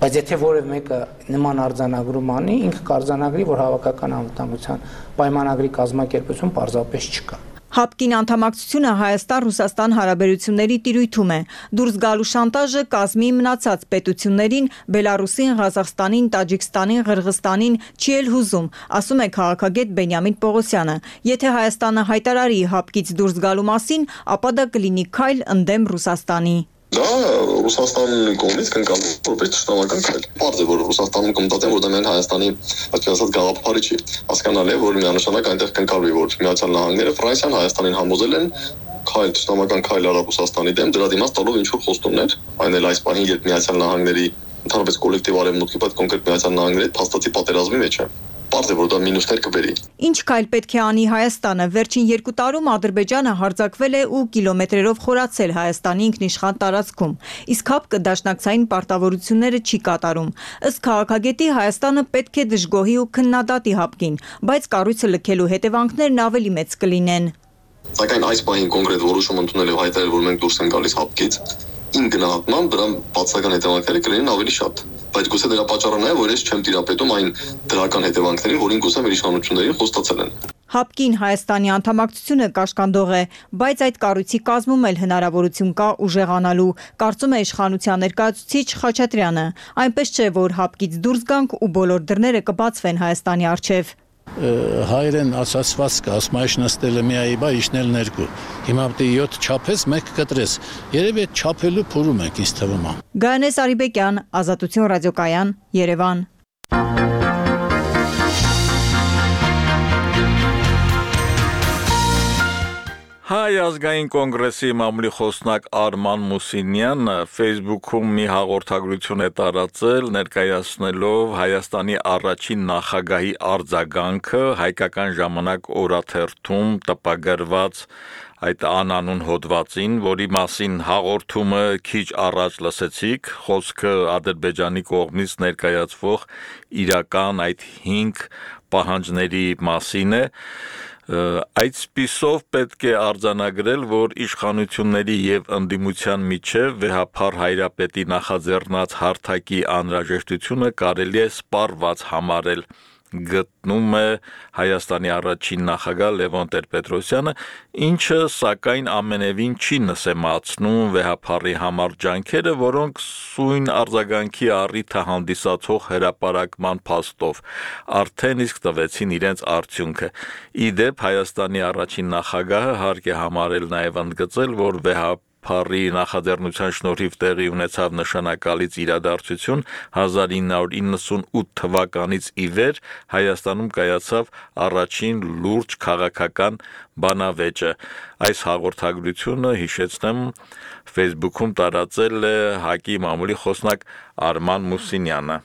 Բայց եթե որևէ մեկը նման արձանագրում անի, ինքը կարձանագրի, որ հավաքական անվտանգության պայմանագրի կազմակերպություն պարզապես չկա։ Հապկին անդամակցությունը Հայաստան-Ռուսաստան հարաբերությունների տիրույթում է։ Դուրս գալու շանտաժը կազմի մնացած պետություններին՝ Բելարուսին, Ղազախստանին, Տաջիկստանին, Ղրղստանին չի էլ հուզում, ասում է քաղաքագետ Բենյամին Պողոսյանը։ Եթե Հայաստանը հայտարարի հապկից դուրս գալու մասին, ապա դա կլինի քայլ ընդդեմ Ռուսաստանի։ Դա Ռուսաստանի կողմից կնկալվում որպես ճշտամական քայլ։ Պարզ է, որ Ռուսաստանում կմտածեն, որ դա միայն Հայաստանի ասած գաղափարի չի։ Հասկանալի է, որ միանշանակ այնտեղ կնկալվի, որ Միացյալ Նահանգները Ֆրանսիան Հայաստանին համոզել են քայլ ճշտամական քայլ արել Ռուսաստանի դեմ, դրա դիմաց տալով ինչ-որ խոստումներ, այն էլ այս պահին, երբ Միացյալ Նահանգների ընդհանրապես կոլեկտիվ արևմուտքի հետ կոնկրետ Միացյալ Նահանգների հետ փաստացի պատերազմի մեջ է։ Պարզ է, որ դա մինուսներ կբերի։ Ինչ քայլ պետք է անի Հայաստանը։ Վերջին 2 տարում Ադրբեջանը հարձակվել է ու կիլոմետրերով խորացել Հայաստանի ինքնիշխան տարածքում։ Իսկ հապկը դաշնակցային պարտավորությունները չի կատարում։ Ըստ քաղաքագետի Հայաստանը պետք է դժգոհի ու քննադատի հապկին, բայց կառույցը լքելու հետևանքներն ավելի մեծ կլինեն։ Սակայն այս պահին կոնկրետ որոշում ընդունել եւ հայտարարել, որ մենք դուրս ենք գալիս հապկից, իմ գնահատմամբ դրան բացական հետևանքները կլինեն ավելի շատ։ Բայց գուցե դրա պատճառը նա է, որ ես չեմ տիրապետում այն դրական հետևանքներին, որին գուցե մեր իշխանություններին խոստացել են։ Հապկին Հայաստանի անդամակցությունը կաշկանդող է, բայց այդ կառույցի կազմում էլ հնարավորություն կա ուժեղանալու, կարծում է իշխանության ներկայացուցիչ Խաչատրյանը։ Այնպես չէ, որ հապկից դուրս գանք ու բոլոր դռները կբացվեն Հայաստանի առջև։ Հայերեն ասացված կա, ասում այշ նստել է միայի բա իշնել ներկու։ Հիմա պետք է 7 չափես, 1 կտրես։ Երևի այդ չափելու փորում ենք, ինձ թվում է։ Գայանես Արիբեկյան, Ազատություն ռադիոկայան, Երևան։ Հայ ազգային կոնգրեսի մամուլի խոսնակ Արման Մուսինյանը Facebook-ում մի հաղորդագրություն է տարածել, ներկայացնելով Հայաստանի առաջին նախագահի արձագանքը Հայկական ժամանակ օրաթերթում տպագրված այդ անանուն հոդվածին, որի մասին հաղորդումը քիչ առաջ լսեցիք, խոսքը Ադրբեջանի կողմից ներկայացվող իրական այդ 5 պահանջների մասին է։ Այսպիսով պետք է արձանագրել, որ իշխանությունների եւ ընդդիմության միջև վեհափառ հայրապետի նախաձեռնած հարթակի անհրաժեշտությունը կարելի է սպառված համարել գտնում է Հայաստանի առաջին նախագահ Լևոն Տեր-Պետրոսյանը, ինչը սակայն ամենևին չի նսեմացնում վեհափառի համար ջանքերը, որոնք սույն արձագանքի առիթը հանդիսացող հրապարակման փաստով արդեն իսկ տվեցին իրենց արդյունքը։ Ի դեպ Հայաստանի առաջին նախագահը հարկ է համարել նաև ընդգծել, որ վեհափառի նախաձեռնության շնորհիվ տեղի ունեցավ նշանակալից իրադարձություն 1998 թվականից ի վեր Հայաստանում կայացավ առաջին լուրջ քաղաքական բանավեճը։ Այս հաղորդագրությունը, հիշեցնեմ, Facebook-ում տարածել է ՀԱԿ-ի մամուլի խոսնակ Արման Մուսինյանը։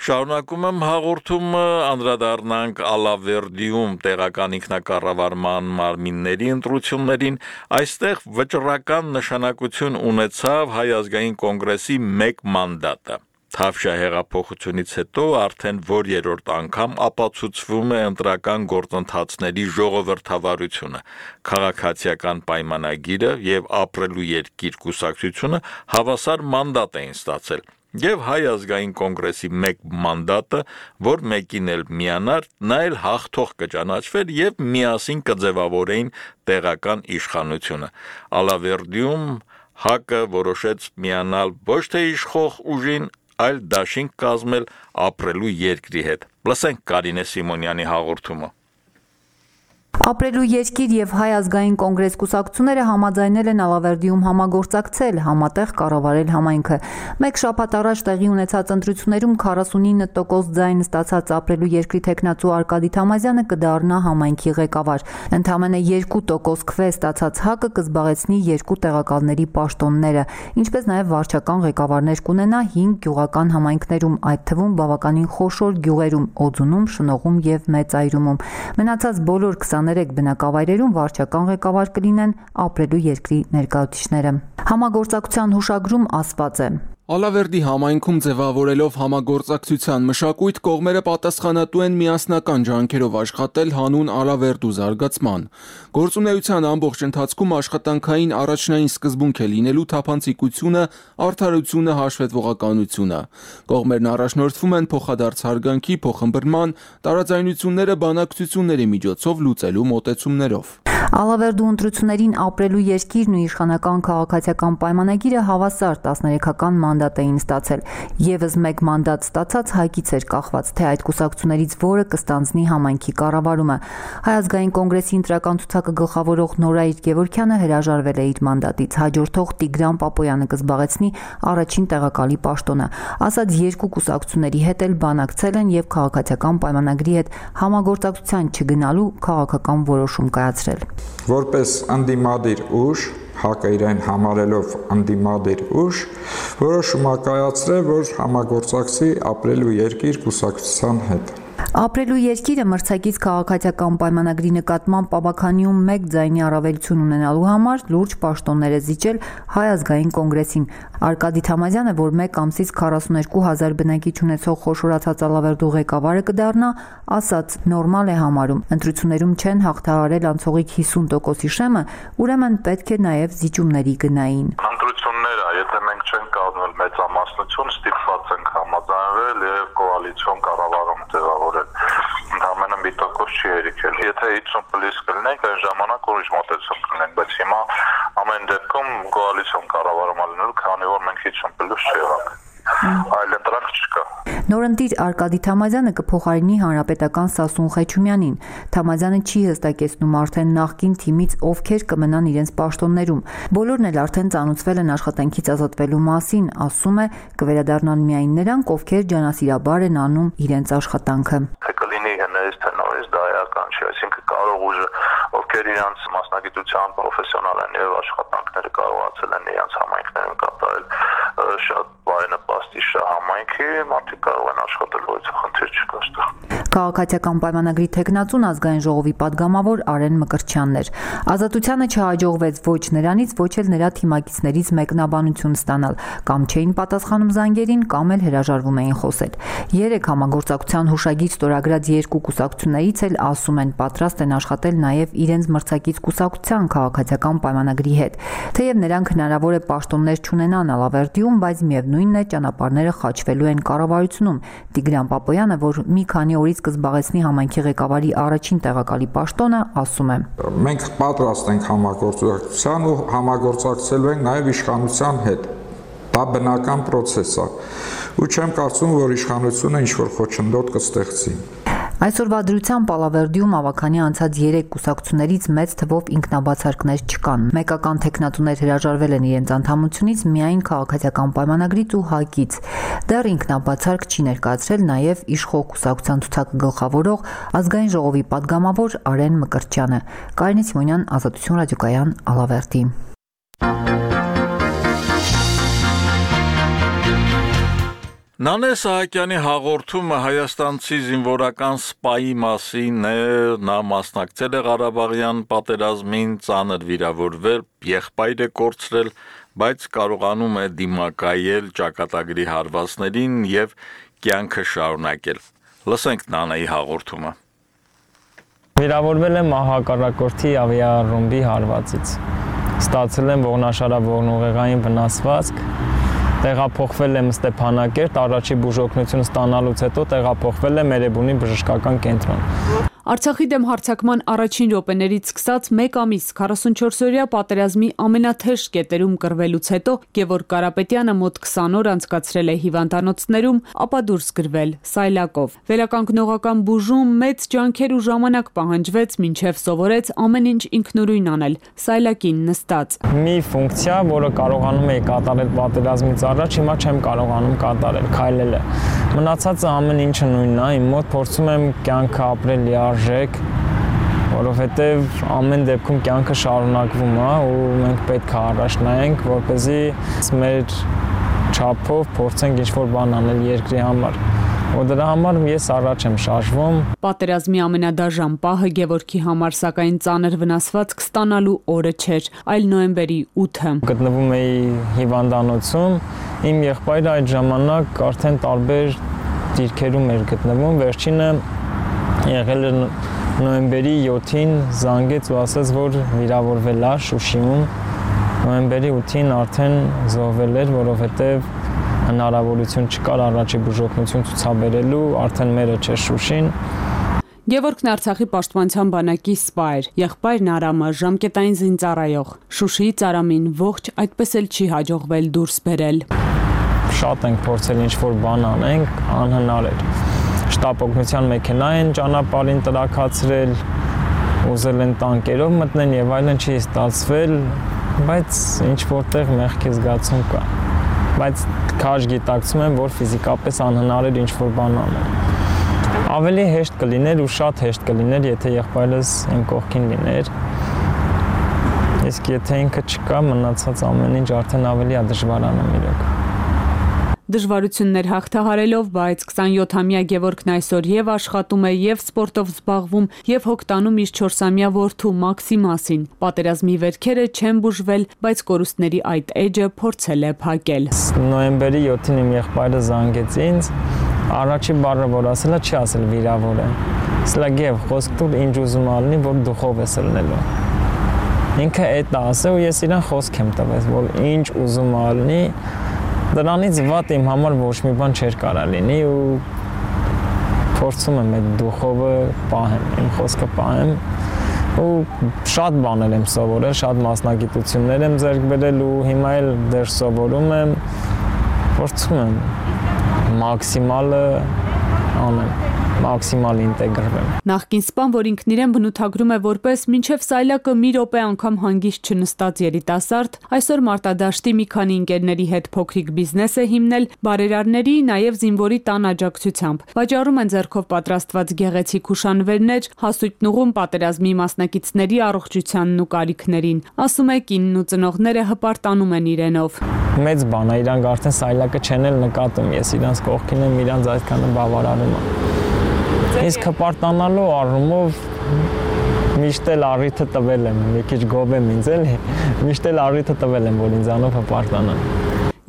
Շարունակում եմ հաղորդումը, անդրադառնանք Ալավերդիում տեղական ինքնակառավարման մարմինների ընտրություններին, այստեղ վճռական նշանակություն ունեցավ Հայ ազգային կոնգրեսի մեկ մանդատը։ Թավշյա հեղափոխությունից հետո արդեն որերորդ անգամ ապացուցվում է ընտրական գործընթացների ժողովրդավարությունը, քաղաքացիական պայմանագիրը եւ ապրելու երկիր կուսակցությունը հավասար մանդատ էին ստացել։ Եվ Հայ ազգային կոնգրեսի մեկ մանդատը, որ մեկին էլ միանար, նա էլ հաղթող կճանաչվեր եւ միասին կձևավորեին տեղական իշխանությունը։ Ալավերդիում ՀԱԿ-ը որոշեց միանալ ոչ թե իշխող ուժին, այլ դաշինք կազմել ապրելու երկրի հետ։ Լսենք Կարինե Սիմոնյանի հաղորդումը։ Ապրելու երկիր եւ Հայ ազգային կոնգրես կուսակցությունները համաձայնել են Ալավերդիում համագործակցել, համատեղ կառավարել համայնքը։ Մեկ շաբաթ առաջ տեղի ունեցած ընտրություններում 49% ձայն ստացած Ապրելու երկրի թեկնածու Արկադի Թամազյանը կդառնա համայնքի ղեկավար։ Ընդամենը 2% քվե ստացած ՀԱԿ-ը կզբաղեցնի 2 տեղակալների պաշտոնները, ինչպես նաեւ վարչական ղեկավարներ կունենա 5 գյուղական համայնքներում, այդ թվում բավականին խոշոր գյուղերում՝ Օձունում, Շնողում եւ Մեծայրումում։ Մնացած բոլոր 23 բնակավայրերում վարչական ղեկավար կլինեն Ապրելու երկրի ներկայացուցիչները։ Համագործակցության հուշագրում ասված է. Ալավերդի համայնքում ձևավորելով համագործակցության մշակույթ, կողմերը պատասխանատու են միասնական ջանքերով աշխատել հանուն Ալավերդու զարգացման։ Գործունեության ամբողջ ընթացքում աշխատանքային առաջնային սկզբունք է լինելու թափանցիկությունը, արդարությունը, հաշվետվողականությունը։ Կողմերն առաջնորդվում են փոխադարձ հարգանքի, փոխըմբռնման, տարաձայնությունները բանակցությունների միջոցով լուծելու մոտեցումներով։ Ալավերդու ընտրություններին Ապրելու երկիրն ու իշխանական քաղաքացիական պայմանագիրը հավասար 13-ական մանդատ էին ստացել։ Եվս մեկ մանդատ ստացած ՀԱԿ-ից էր կախված, թե այդ կուսակցություններից որը կստանձնի համայնքի կառավարումը։ Հայ ազգային կոնգրեսի ընտրական ցուցակը գլխավորող Նորայր Գևորգյանը հրաժարվել է իր մանդատից, հաջորդող Տիգրան Պապոյանը կզբաղեցնի առաջին տեղակալի պաշտոնը։ Ասած երկու կուսակցությունների հետ էլ բանակցել են եւ քաղաքացիական պայմանագրի հետ համագործակցության չգնալու քաղաքական որոշում կայացրել։ Որպես ընդդիմադիր ուժ, ՀԱԿ-ը իրեն համարելով ընդդիմադիր ուժ, որոշում է կայացրել, որ համագործակցի Ապրելու երկիր կուսակցության հետ։ Ապրելու երկիրը մրցակից քաղաքացիական պայմանագրի նկատմամբ Պաբաքանիում մեկ ձայնի առավելություն ունենալու համար լուրջ պաշտոններ է զիջել Հայ ազգային կոնգրեսին։ Արկադի Թամազյանը, որ մեկ ամսից 42,000 բնակիչ ունեցող խոշորացած Ալավերդու ղեկավարը կդառնա, ասաց նորմալ է համարում։ Ընտրություններում չեն հաղթահարել անցողիկ 50%-ի շեմը, ուրեմն պետք է նաև զիջումների գնային։ Ընտրությունները, եթե մենք չենք կազմել մեծամասնություն, ստիպված ենք համաձայնվել եւ կոալիցիոն կառավարում ձևավորել։ Ընդամենը մի տոկոս չի երիքել։ Եթե 50+ կլինենք, այն ժամանակ ուրիշ մոտեցում կլինենք, բայց հիմա ամեն դեպքում կոալիցիոն կառավարում լինելու, քանի որ մենք 50+ չեղանք։ Այլ ընտրանք չկա։ Նորընտիր Արկադի Թամազյանը կփոխարինի հանրապետական Սասուն Խեչումյանին։ Թամազյանը չի հստակեցնում արդեն նախկին թիմից ովքեր կմնան իրենց պաշտոններում։ Բոլորն էլ արդեն ծանոթվել են աշխատանքից ազատվելու մասին, ասում է, կվերադառնան միայն նրանք, ովքեր ջանասիրաբար են անում իրենց աշխատանքը։ Թե կլինի հնարից թե նորից դա էական չի, այսինքն կարող ուժը, ովքեր իրենց մասնագիտության պրոֆեսիոնալ են եւ աշխատանքները կարողացել են իրենց համայնքներում կատարել, շատ բարենպաստ իշ համայնքի մարդիկ կարող են աշխատել, որից խնդիր չկա այստեղ։ Քաղաքացիական պայմանագրի թեկնածուն ազգային ժողովի падգամավոր Արեն Մկրտչյանն էր։ Ազատությանը չհաջողվեց ոչ նրանից, ոչ էլ նրա թիմակիցներից մեկնաբանություն ստանալ, կամ չէին պատասխանում զանգերին, կամ էլ հրաժարվում էին խոսել։ 3 համագործակցության հուշագիր ստորագրած 2 կուսակցություններից էլ ասում են պատրաստ են աշխատել նաև իրենց մրցակից կուսակցության քաղաքացիական պայմանագրի հետ։ Թեև նրանք հնարավոր է պաշտոններ չունենան Ալավերդիում, բայց միևնույնն է ճանապարհները խաչվելու են կառավարությունում։ Տիգրան Պապոյանը, որ մի քանի օրից կզբաղեցնի համայնքի ղեկավարի առաջին տեղակալի պաշտոնը, ասում է. Մենք պատրաստ ենք համագործակցության ու համագործակցելու ենք նաև իշխանության հետ։ Դա բնական process է։ Ու չեմ կարծում, որ իշխանությունը ինչ-որ խոչընդոտ կստեղծի։ Այսօրվա դրությամբ Ալավերդիում ավագանի անցած 3 կուսակցություններից մեծ թվով ինքնաբացարկներ չկան։ Մեկական թեկնածուներ հրաժարվել են իրենց անդամությունից միայն քաղաքացիական պայմանագրից ու ՀԱԿ-ից։ Դեռ ինքնաբացարկ չի ներկայացրել նաև իշխող կուսակցության ցուցակը գլխավորող ազգային ժողովի падգամավոր Արեն Մկրտչյանը։ Կարինե Սիմոնյան, Ազատություն ռադիոկայան, Ալավերդի։ Նանե Սահակյանի հաղորդումը հայաստանցի զինվորական սպայի մասին է, նա մասնակցել է Ղարաբաղյան պատերազմին, ծանր վիրավորվել, եղբայր է կորցրել, բայց կարողանում է դիմակայել ճակատագրի հարվածներին եւ կյանքը շարունակել։ Լսենք Նանեի հաղորդումը։ Վիրավորվել եմ հակառակորդի ավիառումբի հարվածից։ Ստացել եմ ողնաշարավորնուղեղային վնասվածք։ Տեղափոխվել եմ Ստեփանակերտ, առաջի բուժօգնություն ստանալուց հետո տեղափոխվել եմ Էրեբունի բժշկական կենտրոն։ Արցախի դեմ հարձակման առաջին րոպեներից սկսած 1 ամիս 44-օրյա պատերազմի ամենաթեժ կետերում կռվելուց հետո Գևորգ Կարապետյանը մոտ 20 օր անցկացրել է հիվանդանոցներում, ապա դուրս գրվել Սայլակով։ Վերականգնողական բուժում մեծ ջանքեր ու ժամանակ պահանջվեց, մինչև սովորեց ամեն ինչ ինքնուրույն անել, Սայլակին նստած։ Մի ֆունկցիա, որը կարողանում էի կատարել պատերազմից առաջ, հիմա չեմ կարողանում կատարել, քայլել է։ Մնացածը ամեն ինչը նույնն է, իմ մոտ փորձում եմ կյանքը ապրել լիարժեք, որովհետև ամեն դեպքում կյանքը շարունակվում է ու մենք պետք է առաջ նայենք, որպեսզի մեր չափով փորձենք ինչ-որ բան անել երկրի համար։ Ու դրա համար ես առաջ եմ շարժվում։ Պատերազմի ամենադաժան պահը Գևորգի համար սակայն ծանր վնասվածք ստանալու օրը չէր, այլ նոյեմբերի 8-ը։ Գտնվում էի հիվանդանոցում, իմ եղբայրը այդ ժամանակ արդեն տարբեր դիրքերում էր գտնվում, վերջինը եղել է նոյեմբերի 7-ին զանգեց ու ասաց, որ վիրավորվել է Շուշիում։ Նոյեմբերի 8-ին արդեն զոհվել էր, որովհետև հնարավորություն չկար առաջի բուժօգնություն ցուցաբերելու, արդեն մերը չէր Շուշին։ Գևորգն Արցախի պաշտպանության բանակի սպա էր, եղբայրն Արամը ժամկետային զինծառայող։ Շուշիից Արամին ողջ այդպես էլ չի հաջողվել դուրս բերել։ Շատ ենք փորձել ինչ-որ բան անենք, անհնար էր։ Շտապ օգնության մեքենա են ճանապարհին տրաքացրել, ուզել են տանկերով մտնեն եւ այլն, չի ստացվել, բայց ինչ որտեղ մեղքի զգացում կա։ Բայց քաշ գիտակցում եմ, որ ֆիզիկապես անհնար էր ինչ-որ բան անել։ Ավելի հեշտ կլիներ ու շատ հեշտ կլիներ, եթե եղբայրս իմ կողքին լիներ։ Իսկ եթե ինքը չկա, մնացած ամեն ինչ արդեն ավելի է դժվարանում իրոք։ Դժվարություններ հաղթահարելով, բայց 27-ամյա Գևորգն այսօր եւ աշխատում է, եւ սպորտով զբաղվում, եւ հոգտանում իր 4-ամյա որդու Մաքսիմասին։ Պատերազմի վերքերը չեն բուժվել, բայց կորուստների այդ էջը փորձել է փակել։ Նոյեմբերի 7-ին իմ եղբայրը զանգեց ինձ, առաջի բառը որ ասել է, չի ասել վիրավոր է։ Ասել է Գև, խոսք տուր, ինչ ուզում ալնի, որ դուխով ես ելնելու։ Ինքը այդ ասել ու ես իրան խոսք եմ տվել, որ ինչ ուզում ալնի, դրանից վատ իմ համար ոչ մի բան չէր կարա լինի ու փորձում եմ այդ դուխովը պահեմ, իմ խոսքը պահեմ ու շատ բաներ եմ սովորել, շատ մասնագիտություններ եմ ձեռք բերել ու հիմա էլ դեռ սովորում եմ, փորձում եմ մաքսիմալը անեմ, մաքսիմալ ինտեգրվեմ։ Նախկին սպան, որ ինքն իրեն բնութագրում է որպես մինչև Սայլակը մի րոպե անգամ հանգիստ չնստած երիտասարդ, այսօր մարտադաշտի մի քանի ընկերների հետ փոքրիկ բիզնես է հիմնել, բարերարների, նաև զինվորի տան աջակցությամբ։ Վաճառում են ձեռքով պատրաստված գեղեցիկ հուշանվերներ, հասույթն ուղղում պատերազմի մասնակիցների առողջությանն ու կարիքներին։ Ասում է կինն ու ծնողները հպարտանում են իրենով։ Մեծ բան է, իրանք արդեն Սայլակը չեն էլ նկատում, ես իրանց կողքին եմ, իրանց այդքանը բավարարում եմ։ Իսկ հպարտանալու առումով միշտ էլ առիթը տվել եմ, մի քիչ գով եմ ինձ էլի, միշտ էլ առիթը տվել եմ, որ ինձանով հպարտանամ։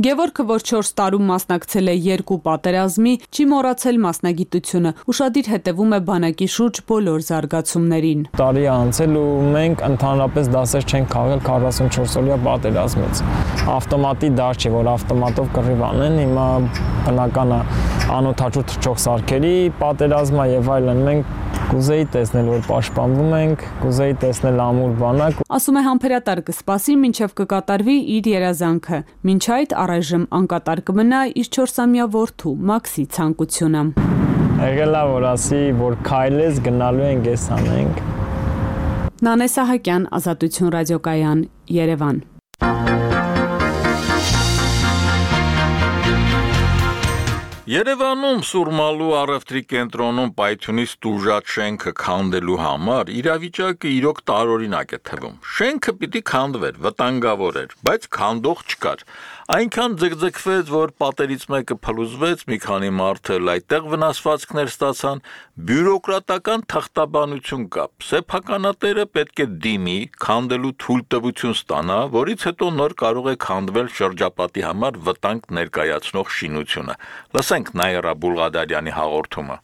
Գևորգը, որ 4 տարում մասնակցել է 2 պատերազմի, չի մոռացել մասնագիտությունը, ուշադիր հետևում է բանակի շուրջ բոլոր զարգացումներին։ Տարի անցել ու մենք ընդհանրապես դասեր չենք քաղել 44-օրյա պատերազմից։ Ավտոմատի դար չի, որ ավտոմատով կռիվ անեն, հիմա բնական է անօթաչու թռչող սարքերի պատերազմը եւ այլն, մենք կուզեի տեսնել, որ պաշտպանվում ենք, կուզեի տեսնել ամուր բանակ։ Ասում է համբերատար կսպասի, մինչև կկատարվի իր երազանքը։ Մինչ այդ առայժմ անկատար կմնա իր 4-ամյա որդու Մաքսի ցանկությունը։ Եղել է որ ասի, որ քայլես գնալու ենք, էս անենք։ Նանե Սահակյան, Ազատություն ռադիոկայան, Երևան։ Երևանում Սուրմալու առևտրի կենտրոնում պայթյունից տուժած շենքը քանդելու համար իրավիճակը իրոք տարօրինակ է թվում։ Շենքը պիտի քանդվեր, վտանգավոր էր, բայց քանդող չկար։ Այնքան ձգձգվեց, որ պատերից մեկը փլուզվեց, մի քանի մարդ էլ այդտեղ վնասվածքներ ստացան, բյուրոկրատական թղթաբանություն կա։ Սեփականատերը պետք է դիմի, քանդելու թույլտվություն ստանա, որից հետո նոր կարող է քանդվել շրջապատի համար վտանգ ներկայացնող շինությունը։ Լսենք Նայրա Բուլղադարյանի հաղորդումը։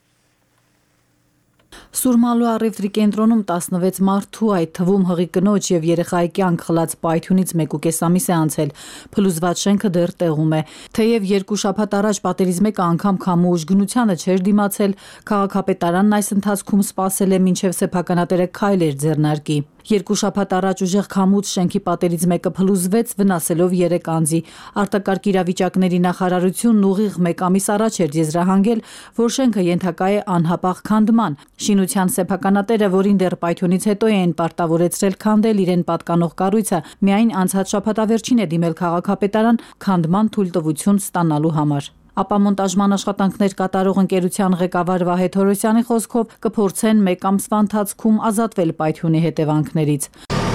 Սուրմալու առևտրի կենտրոնում 16 մարդու, այդ թվում հղի կնոջ եւ երեխայի կյանք խլած պայթյունից 1.5 ամիս է անցել։ Փլուզված շենքը դեռ տեղում է։ Թեև 2 շաբաթ առաջ պատերից մեկը անգամ քամու ուժգնությանը չէր դիմացել, քաղաքապետարանն այս ընթացքում սպասել է մինչև սեփականատերը քայլեր ձեռնարկի։ 2 շաբաթ առաջ ուժեղ քամուց շենքի պատերից մեկը փլուզվեց, վնասելով 3 անձի։ Արտակարգ իրավիճակների նախարարությունն ուղիղ 1 ամիս առաջ էր եզրահանգել, որ շենքը ենթակա է անհապաղ քանդման։ Շինության սեփականատերը, որին դեռ պայթյունից հետո էին պարտավորեցրել քանդել իրեն պատկանող կառույցը, միայն անցած շաբաթավերջին է դիմել քաղաքապետարան քանդման թույլտվություն ստանալու համար։ Ապամոնտաժման աշխատանքներ կատարող ընկերության ղեկավար Վահե Թորոսյանի խոսքով կփորձեն 1 ամսվա ընթացքում ազատվել պայթյունի հետևանքներից։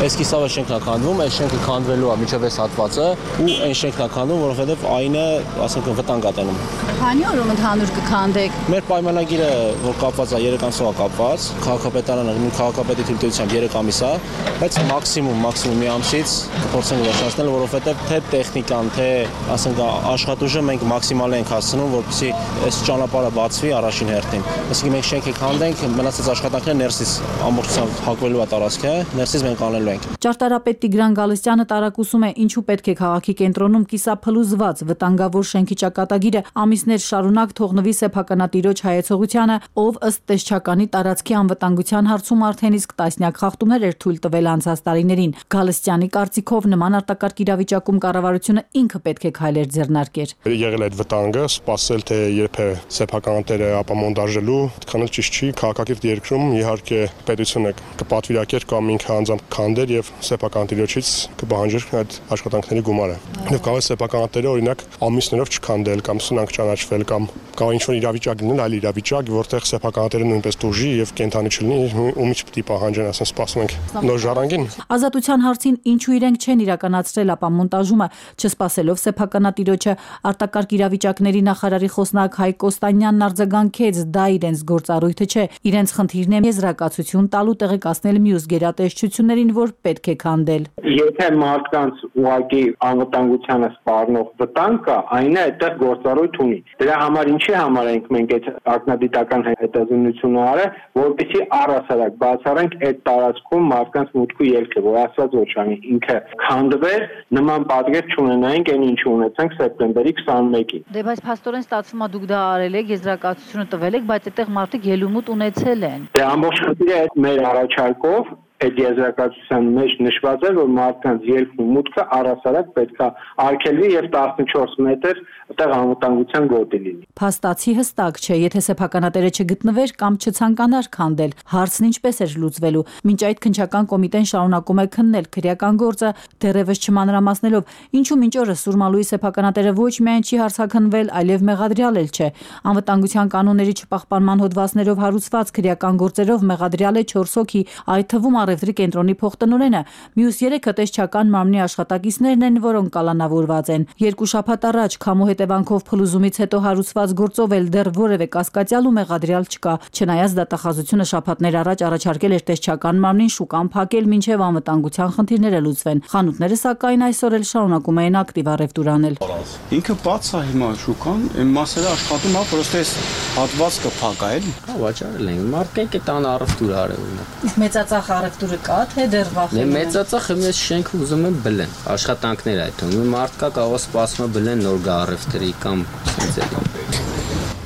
Այս կիսավը շենքն է քանդվում, այս շենքը քանդվելու է միջև այս հատվածը ու այն շենքն է քանդվում, որովհետև այնը, ասենք, վտանգ է տանում։ Քանի օրում ընդհանուր կքանդեք։ Մեր պայմանագիրը, որ կապված է 3 ամսով է կապված, քաղաքապետարանը մի քաղաքապետի թույլտվությամբ 3 ամիս է, բայց մաքսիմում մի ամսից կփորձենք վերջացնել, որովհետև թե տեխնիկան, թե, ասենք, աշխատուժը մենք մաքսիմալ ենք հասցնում, որպեսզի այս ճանապարհը բացվի առաջին հերթին։ Այսինքն մենք շենքը քանդենք, մնացած աշխատանքները ներսից ամբողջությամբ հակվելու է տարածքը, ներսից մենք անելու ենք։ Ճարտարապետ Տիգրան Գալստյանը տարակուսում է, ինչու պետք է քաղաքի կենտրոնում կիսափլուզված վտանգավոր շենքի ճակատագիրը ամիսներ շարունակ թողնվի սեփականատիրոջ հայեցողությանը, ով ըստ տեսչականի տարածքի անվտանգության հարցում արդեն իսկ տասնյակ խախտումներ էր թույլ տվել անցած տարիներին։ Գալստյանի կարծիքով նման արտակարգ իրավիճակում կառավարությունը ինքը պետք է քայլեր ձեռնարկեր։ Եղել այդ վտանգը, սպասել թե երբ է սեփականատերը ապամոնտաժելու, այդքան էլ ճիշտ չի, քաղաքակիրթ երկրում իհարկե պետությունը կպատվիրակեր կամ ինքը անձամբ քանդեր եւ սեփականատիրոջից կպահանջեր այդ աշխատանքների գումարը։ Եվ կարող է սեփականատերը օրինակ ամիսներով չքանդել կամ սնանք ճանաչվել կամ կարող ինչ-որ իրավիճակ լինել, այլ իրավիճակ, որտեղ սեփականատերը նույնպես տուժի եւ կենթանի չլինի, ումից պիտի պահանջեն, ասեն, սպասում ենք նոր ժառանգին։ Ազատության հարցին ինչու իրենք չեն իրականացրել ապամոնտաժումը, չսպասելով սեփականատիրոջը, արտակարգ իրավիճակների նախարարի խոսնակ Հայկ Կոստանյանն արձագանքեց, դա իրենց գործառույթը չէ, իրենց խնդիրն է եզրակացություն տալու, տեղեկացնել մյուս գերատեսչություններին, որ պետք է քանդել։ Եթե մարդկանց ուղղակի անվտանգությանը սպառնող վտանգ կա, այն է այդտեղ գործառույթ ունի։ Դրա համար ինչի համար ենք մենք այդ ակնադիտական հետազոտությունը արել, որպեսզի առհասարակ բացառենք այդ տարածքում մարդկանց մուտք ու ելքը, որ ասած ոչ անի ինքը քանդվեր, նման պատկեր չունենայինք, այն ինչ ունեցանք սեպտեմբերի 21-ին։ Դե բայց փաստորեն ստացվում է դուք դա արել եք, եզրակացությունը տվել եք, բայց այդտեղ մարդիկ ելումուտ ունեցել են։ Դե ամբողջ խնդիրը մեր առաջարկով այդ եզրակացության մեջ նշված է, որ մարդկանց ելքն ու մուտքը առհասարակ պետք է արգելվի եւ 14 մետր այդտեղ անվտանգության գոտի լինի։ Փաստացի հստակ չէ, եթե սեփականատերը չգտնվեր կամ չցանկանար քանդել, հարցն ինչպես էր լուծվելու։ Մինչ այդ քննչական կոմիտեն շարունակում է քննել քրեական գործը, դեռևս չմանրամասնելով, ինչու մինչ օրս Սուրմալուի սեփականատերը ոչ միայն չի հարցաքննվել, այլև մեղադրյալ էլ չէ։ Անվտանգության կանոնների չպահպանման հոդվածներով հարուցված քրեական գործերով մեղադրյալ է 4 հոգի, այդ թվում առևտրի կենտրոնի փոխտնօրենը, մյուս 3-ը տեսչական մարմնի աշխատակիցներն են, որոնք կալանավորված են։ 2 շաբաթ առաջ քամու հետևանքով փլուզումից հետո հարուցված գործով էլ դեռ որևէ կասկածյալ ու մեղադրյալ չկա։ Չնայած դատախազությունը շաբաթներ առաջ առաջարկել էր տեսչական մարմնին շուկան փակել մինչև անվտանգության խնդիրները լուծվեն։ Խանութները սակայն այսօր էլ շարունակում են ակտիվ առևտուր անել։ Ինքը բաց է հիմա շուկան, այն մասերը աշխատում է, պրոստե այս հատվածը փակ է, էլի։ Հա, վաճառել են։ Մարդիկ տան առևտուր արել։ Իսկ մեծածախ առևտուրը կա, թե դեռ վախենում են։ Մեծածախ մեծ շենքը ուզում են բլեն, աշխատանքներ այդ թվում։ Մարդ կա կարող սպասում է բլեն նոր գա առևտրի կամ սենց։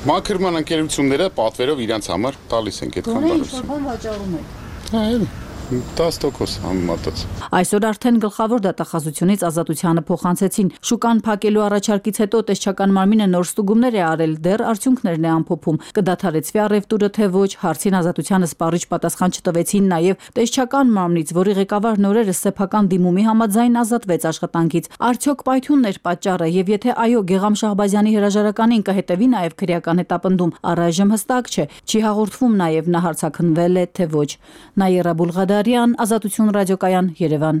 Մաքրման ընկերությունները պատվերով իրենց համար տալիս են այդքան բարություն։ Ինչ վաճառում եք։ Հա, էլի 10% համեմատած։ Այսօր արդեն գլխավոր դատախազությունից ազատությանը փոխանցեցին։ Շուկան փակելու առաջարկից հետո տեսչական մարմինը նոր ստուգումներ է արել, դեռ արդյունքներն է ամփոփում։ Կդադարեցվի առևտուրը թե ոչ, հարցին ազատությանը սպառիչ պատասխան չտվեցին նաև տեսչական մարմնից, որի ղեկավար նորերս սեփական դիմումի համաձայն ազատվեց աշխատանքից։ Արդյոք պայթյունն էր պատճառը, եւ եթե այո, Գեգամ Շահբազյանի հրաժարականին կհետևի նաև քրեական հետապնդում, առայժմ հստակ չէ։ Չի հաղորդվում նաև նա հարցաքննվել է թե ոչ։ Նաիրա Բուլղադարյան, Ազատություն ռադիոկայան, Երևան։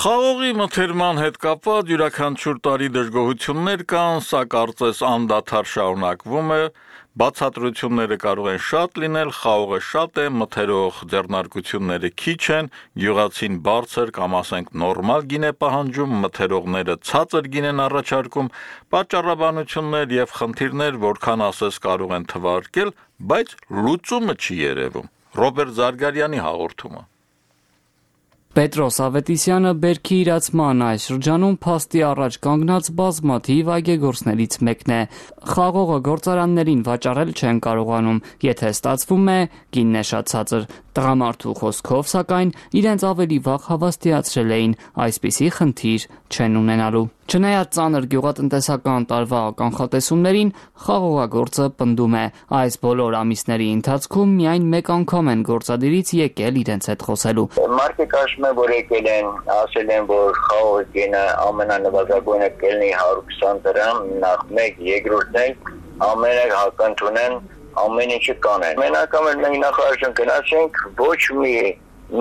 Խաղողի մթերման հետ կապված յուրաքանչյուր տարի դժգոհություններ կան, սա կարծես անդադար շարունակվում է, բացատրությունները կարող են շատ լինել, խաղողը շատ է, մթերող ձեռնարկությունները քիչ են, գյուղացին բարձր կամ ասենք նորմալ գին է պահանջում, մթերողները ցածր գին են առաջարկում, պատճառաբանություններ եւ խնդիրներ որքան ասես կարող են թվարկել, բայց լուծումը չի երևում։ Ռոբերտ Զարգարյանի հաղորդումը։ Պետրոս Ավետիսյանը բերքի իրացման այս շրջանում փաստի առաջ կանգնած բազմաթիվ այգեգործներից մեկն է։ Խաղողը գործարաններին վաճառել չեն կարողանում, եթե ստացվում է, գինն է շատ ցածր։ Տղամարդու խոսքով, սակայն, իրենց ավելի վաղ հավաստիացրել էին, այսպիսի խնդիր չեն ունենալու։ Չնայած ծանր գյուղատնտեսական տարվա կանխատեսումներին, խաղողագործը պնդում է, այս բոլոր ամիսների ընթացքում միայն մեկ անգամ են գործադիրից եկել իրենց հետ խոսելու։ Մարդիկ ասում են, որ եկել են, ասել են, որ խաղողի գինը ամենանվազագույնը կլինի 120 դրամ, նախ մեկ, երկրորդն էլ ամենը հակընդունեն ամեն ինչը կանեն։ Մենակամ էլ մենք նախարարություն գնացինք, ոչ մի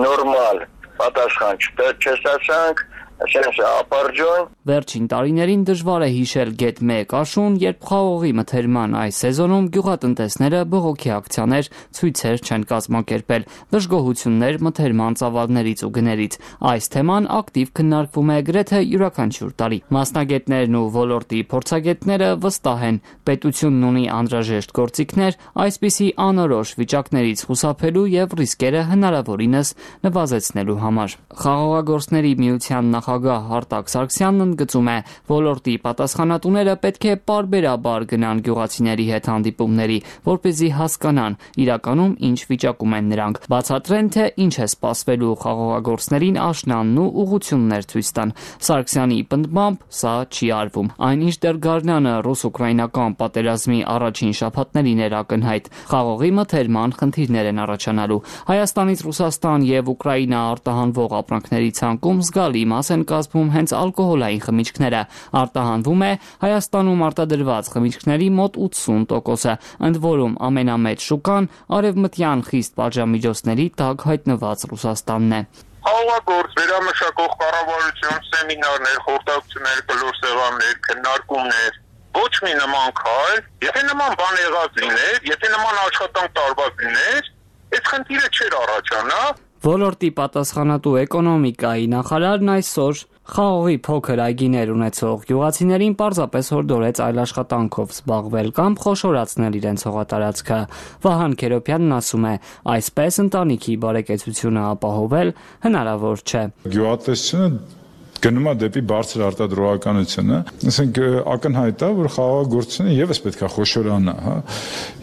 նորմալ պատասխան չստացանք, ասենք ապարջոն։ Վերջին տարիներին դժվար է հիշել գետ 1 աշուն, երբ խաղողի մթերման այս սեզոնում գյուղատնտեսները բողոքի ակցիաներ, ցույցեր չեն կազմակերպել, դժգոհություններ մթերման ծավալներից ու գներից։ Այս թեման ակտիվ քննարկվում է գրեթե յուրաքանչյուր տարի։ Մասնագետներն ու ոլորտի փորձագետները վստահ են, պետությունն ունի անհրաժեշտ գործիքներ այսպիսի անորոշ վիճակներից խուսափելու եւ ռիսկերը հնարավորինս նվազեցնելու համար։ Խաղողագործների միության նախագահ Արտակ Սարգսյանն ընդգծում է, ոլորտի պատասխանատուները պետք է պարբերաբար գնան գյուղացիների հետ հանդիպումների, որպեսզի հասկանան իրականում ինչ վիճակում են նրանք, բացատրեն, թե ինչ է սպասվելու խաղողագործներին աշնանն ու ուղղություններ ցույց տան։ Սարգսյանի պնդմամբ սա չի արվում։ Այնինչ դեռ գարնանը ռուս-ուկրաինական պատերազմի առաջին շաբաթներին էր ակնհայտ, խաղողի մթերման խնդիրներ են առաջանալու։ Հայաստանից Ռուսաստան եւ Ուկրաինա արտահանվող ապրանքների ցանկում զգալի մաս են կազմում հենց ալկոհոլային խմիչքները։ Արտահանվում է Հայաստանում արտադրված խմիչքների մոտ 80%-ը, ընդ որում ամենամեծ շուկան արևմտյան խիստ պատժամիջոցների տակ հայտնված Ռուսաստանն է։ Խաղողագործ վերամշակող կառավարություն, սեմինարներ, խորհրդակցություններ, կլոր սեղաններ, քննարկումներ, ոչ մի նման քայլ, եթե նման բան եղած լիներ, եթե նման աշխատանք տարված լիներ, այս խնդիրը չէր առաջանա։ Ոլորտի պատասխանատու էկոնոմիկայի նախարարն այսօր խաղողի փոքր այգիներ ունեցող գյուղացիներին պարզապես հորդորեց այլ աշխատանքով զբաղվել կամ խոշորացնել իրենց հողատարածքը։ Վահան Քերոբյանն ասում է, այսպես ընտանիքի բարեկեցությունը ապահովել հնարավոր չէ։ Գյուղատնտեսությունը գնում է դեպի բարձր արտադրողականությունը, ասենք ակնհայտ է, որ խաղողագործությունը եւս պետք է խոշորանա, հա։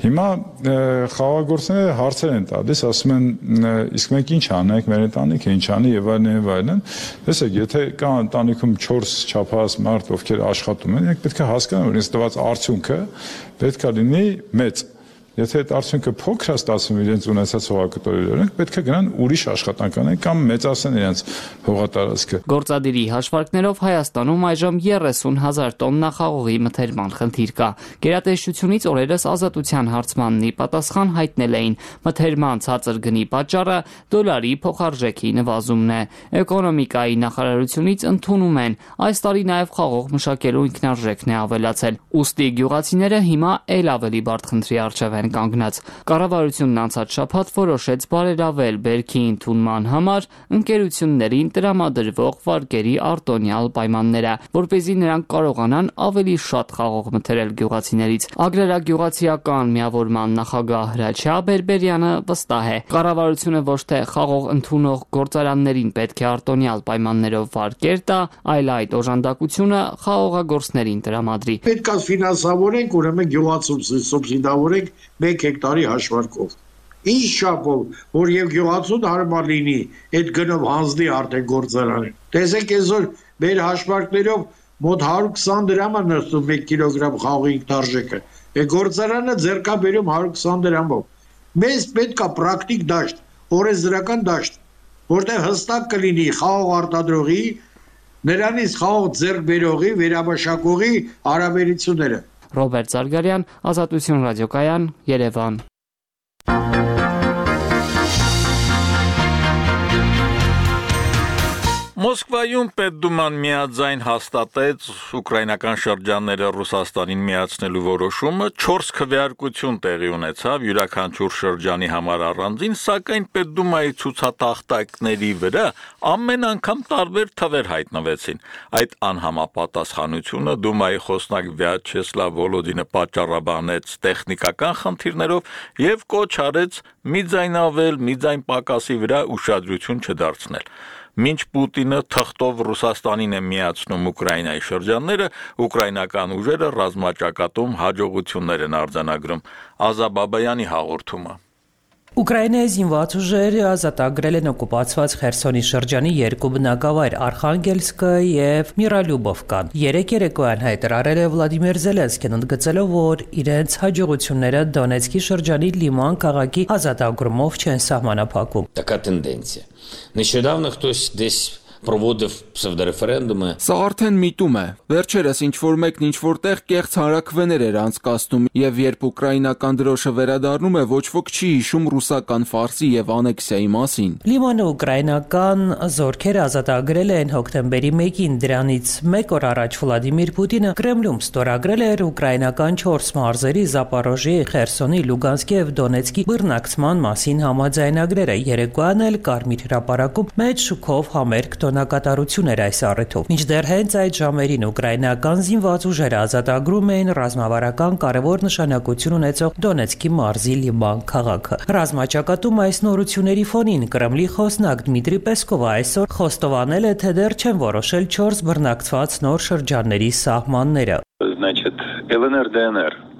Հիմա խաղողագործները հարցեր են տալիս, ասում են, իսկ մենք ինչ անենք, մեր ընտանիքը ինչ անի եւ այլն։ Տեսեք, եթե կա ընտանիքում 4 չափահաս մարդ, ովքեր աշխատում են, իրենք պետք է հասկանան, որ ինձ տված արդյունքը պետք է լինի մեծ։ Եթե այդ արդյունքը փոքր է ստացվում իրենց ունեցած հողակտորիներով, պետք է գնան ուրիշ աշխատանք անեն կամ մեծացնեն իրենց հողատարածքը։ Գործադիրի հաշվարկներով Հայաստանում այժմ 30,000 տոննա խաղողի մթերման խնդիր կա։ Գերատեսչությունից օրերս Ազատության հարցմանն ի պատասխան հայտնել էին, մթերման ցածր գնի պատճառը դոլարի փոխարժեքի նվազումն է։ Էկոնոմիկայի նախարարությունից ընդունում են, այս տարի նաև խաղող մշակելու ինքնարժեքն է ավելացել։ Ուստի գյուղացիները հիմա ել ավելի բարդ խնդրի առջև են կանգնած։ Կառավարությունն անցած շաբաթ որոշեց բարելավել բերքի ընդունման համար ընկերություններին տրամադրվող վարկերի արտոնյալ պայմանները, որպեսզի նրանք կարողանան ավելի շատ խաղող մթերել գյուղացիներից։ Ագրարագյուղացիական միավորման նախագահ Հրաչյա Բերբերյանը վստահ է, կառավարությունը ոչ թե խաղող ընդունող գործարաններին պետք է արտոնյալ պայմաններով վարկեր տա, այլ այդ օժանդակությունը խաղողագործներին տրամադրի։ Պետք է ֆինանսավորենք, ուրեմն գյուղացու սուբսիդավորենք 1 հեկտարի հաշվարկով։ Ինչ չափով, որ եւ գյուղացուն հարմար լինի, այդ գնով հանձնի արդեն գործարանը։ Տեսեք, այսօր մեր հաշվարկներով մոտ 120 դրամ է նստում 1 կիլոգրամ խաղողի ինքնարժեքը։ Այդ գործարանը ձեռքա բերում 120 դրամով։ Մեզ պետք է պրակտիկ դաշտ, օրենսդրական դաշտ, որտեղ հստակ կլինի խաղող արտադրողի, նրանից խաղող ձեռք բերողի, վերամշակողի հարաբերությունները։ Ռոբերտ Զարգարյան, Ազատություն ռադիոկայան, Երևան։ Մոսկվայում Պետդուման միաձայն հաստատեց ուկրաինական շրջանները Ռուսաստանին միացնելու որոշումը, 4 քվեարկություն տեղի ունեցավ յուրաքանչյուր շրջանի համար առանձին, սակայն Պետդումայի ցուցատախտակների վրա ամեն անգամ տարբեր թվեր հայտնվեցին։ Այդ անհամապատասխանությունը Դումայի խոսնակ Վյաչեսլավ Վոլոդինը պատճառաբանեց տեխնիկական խնդիրներով եւ կոչ արեց մի ձայնավել, մի ձայն պակասի վրա ուշադրություն չդարձնել։ Մինչ Պուտինը թղթով Ռուսաստանին է միացնում Ուկրաինայի շրջանները, ուկրաինական ուժերը ռազմաճակատում հաջողություններ են արձանագրում։ Ազաբաբայանի հաղորդումը։ Ուկրաինայի զինված ուժերը ազատագրել են օկուպացված Խերսոնի շրջանի 2 բնակավայր՝ Արխանգելսկը եւ Միրալյուբովկան։ Երեք երեկոյան հայտարարել է Վլադիմիր Զելենսկին, ընդգծելով, որ իրենց հաջողությունները Դոնեցկի շրջանի Լիման քաղաքի ազատագրումով չեն սահմանափակվում։ Така тенденція. Нещодавно хтось десь проводив псевдореферендуми. Սա արդեն միտում է։ Վերջերս ինչ-որ մեկն ինչ-որ տեղ կեղծ հանրաքվեներ էր անցկացնում, եւ երբ ուկրաինական դրոշը վերադառնում է, ոչ ոք չի հիշում ռուսական ֆարսի եւ անեքսիայի մասին։ Լիմանը ուկրաինական զորքերը ազատագրել են հոկտեմբերի 1-ին, դրանից 1 օր առաջ Վլադիմիր Պուտինը Կրեմլում ստորագրել էր ուկրաինական 4 մարզերի Զապորոժիի, Խերսոնի, Լուգանսկի եւ Դոնեցկի բռնակցման մասին համաձայնագրերը։ Երեկոյան էլ Կարմիր հրապարակում մեծ շուկով համերգ կատարություն էր այս առիթով։ Մինչդեռ հենց այդ ժամերին ուկրաինական զինված ուժերը ազատագրում էին ռազմավարական կարևոր նշանակություն ունեցող Դոնեցկի մարզի Լիման քաղաքը։ Ռազմաճակատում այս նորությունների ֆոնին Կրեմլի խոսնակ Դմիտրի Պեսկովը այսօր խոստովանել է, թե դեռ չեն որոշել 4 բռնակցված նոր շրջանների սահմանները։ Значит, ЛНР-ДНР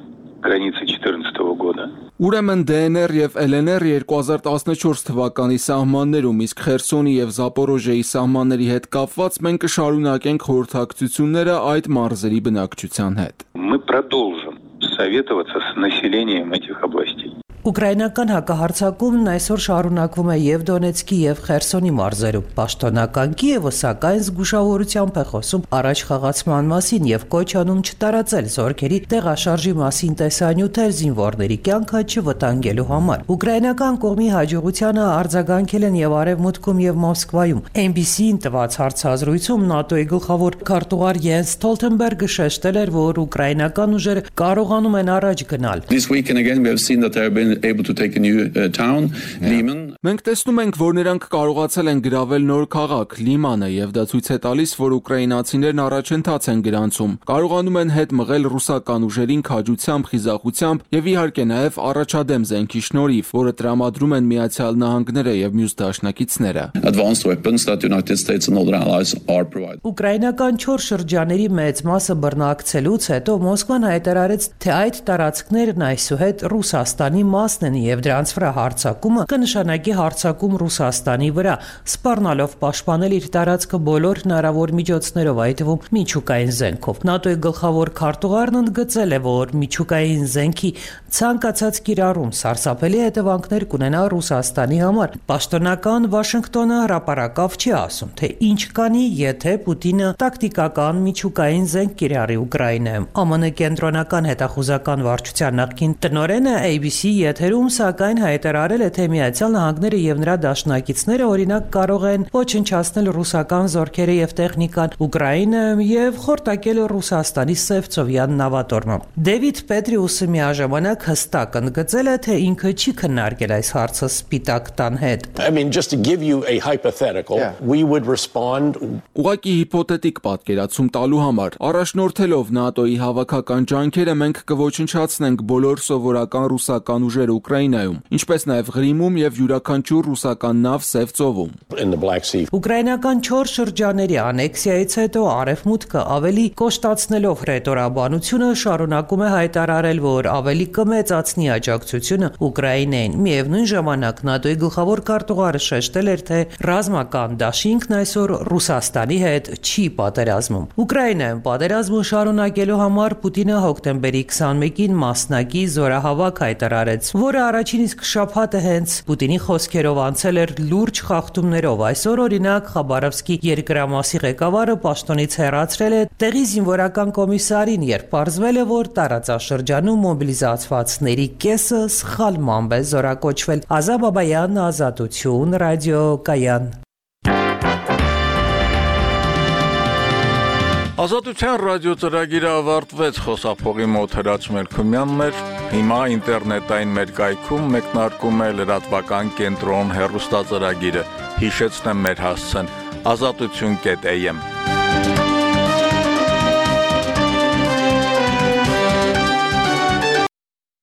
границы 2014 года. Ուրեմն DNR եւ LNR 2014 թվականի սահմաններում, իսկ Խերսոնի եւ Զապորոժիայի սահմանների հետ կապված մենք կշարունակենք խորհրդակցությունները այդ մարզերի բնակչության հետ։ Мы продолжим советоваться с населением этих областей. Ուկրաինական հակահարձակումն այսօր շարունակվում է եւ Դոնեցկի եւ Խերսոնի մարզերում։ Պաշտոնական Կիևը սակայն զգուշավորությամբ է խոսում առաջ խաղացման մասին եւ կոչ անում չտարածել զորքերի տեղաշարժի մասին տեսանյութեր զինվորների կյանքը չվտանգելու համար։ Ուկրաինական կողմի հաջողությանը արձագանքել են եւ Արևմուտքում եւ Մոսկվայում։ NBC-ին տված հարցազրույցում ՆԱՏՕ-ի գլխավոր քարտուղար Յենս Ստոլտենբերգը շեշտել էր, որ ուկրաինական ուժերը կարողանում են առաջ գնալ։ This weekend again we have seen that there have been able to take a new town, Liman. Մենք տեսնում ենք, որ նրանք կարողացել են գրավել նոր քաղաք Լիմանը եւ դա ցույց է տալիս, որ ուկրաինացիներն առաջընթաց են գրանցում։ Կարողանում են հետ մղել ռուսական ուժերին քաջությամբ, խիզախությամբ եւ իհարկե նաեւ առաջադեմ զենքի շնորհիվ, որը տրամադրում են Միացյալ Նահանգները եւ մյուս դաշնակիցները։ Advanced weapons that the United States and other allies are providing. Ուկրաինական 4 շրջանների մեծ մասը բռնակցելուց հետո Մոսկվան հայտարարեց, թե այդ տարածքներն այսուհետ Ռուսաստանի մասն են եւ դրանց վրա հարձակումը կնշանակի հարձակում Ռուսաստանի վրա, սպառնալով պաշտպանել իր տարածքը բոլոր հնարավոր միջոցներով, այդ թվում միջուկային զենքով։ ՆԱՏՕ-ի գլխավոր քարտուղարն ընդգծել է, որ միջուկային զենքի ցանկացած կիրառում սարսափելի հետևանքներ կունենա Ռուսաստանի համար։ Պաշտոնական Վաշինգտոնը հրապարակավ չի ասում, թե ինչ կանի, եթե Պուտինը տակտիկական միջուկային զենք կիրառի Ուկրաինայում։ ԱՄՆ կենտրոնական հետախուզական վարչության նախկին տնօրենը ABC եթերում սակայն հայտարարել է, թե Միացյալ Նահանգները եւ նրա դաշնակիցները օրինակ կարող են ոչնչացնել ռուսական զորքերը եւ տեխնիկան Ուկրաինայում եւ խորտակել Ռուսաստանի Սևծովյան նավատորմը։ Դեվիդ Պետրիուսը միաժամանակ հստակ ընդգծել է, թե ինքը չի քննարկել այս հարցը Սպիտակ տան հետ։ Just to give you a hypothetical, we would respond. Ուղղակի հիպոթետիկ պատկերացում տալու համար առաջնորդելով ՆԱՏՕ-ի հավաքական ջանքերը մենք կոչնչացնենք բոլոր սովորական ռուսական ուժերը Ուկրաինայում, ինչպես նաև Ղրիմում եւ յուրաքանչյուր ռուսական նավ Սևծովում։ Ուկրաինական 4 շրջանների անեքսիայից հետո Արևմուտքը ավելի կոշտացնելով ռետորաբանությունը շարունակում է հայտարարել, որ ավելի կմեծացնի աջակցությունը Ուկրաինային։ Միևնույն ժամանակ ՆԱՏՕ-ի գլխավոր քարտուղարը շեշտել էր, թե ռազմական դաշինքն այսօր Ռուսաստանի հետ չի պատերազմում։ Ուկրաինայում պատերազմը շարունակելու համար Պուտինը հոկտեմբերի 21-ին մասնակի զորահավաք հայտարարեց, որը առաջին իսկ շաբաթը հենց Պուտինի խոսքերով անցել էր լուրջ խախտումներով։ Այսօր օրինակ Խաբարովսկի երկրամասի ղեկավարը պաշտոնից հեռացրել է տեղի զինվորական կոմիսարին, երբ պարզվել է, որ տարածաշրջանում մոբիլիզացվածների կեսը սխալմամբ է զորակոչվել։ Ազատ Բաբայան, Ազատություն, ռադիո Կայան։ Ազատության ռադիո ծրագիրը ավարտվեց, խոսափողի մոտ Հրաչ Մելքումյանն էր, հիմա ինտերնետային մեր կայքում մեկնարկում է լրատվական կենտրոն հեռուստածրագիրը, հիշեցնեմ մեր հասցեն, azatutun.am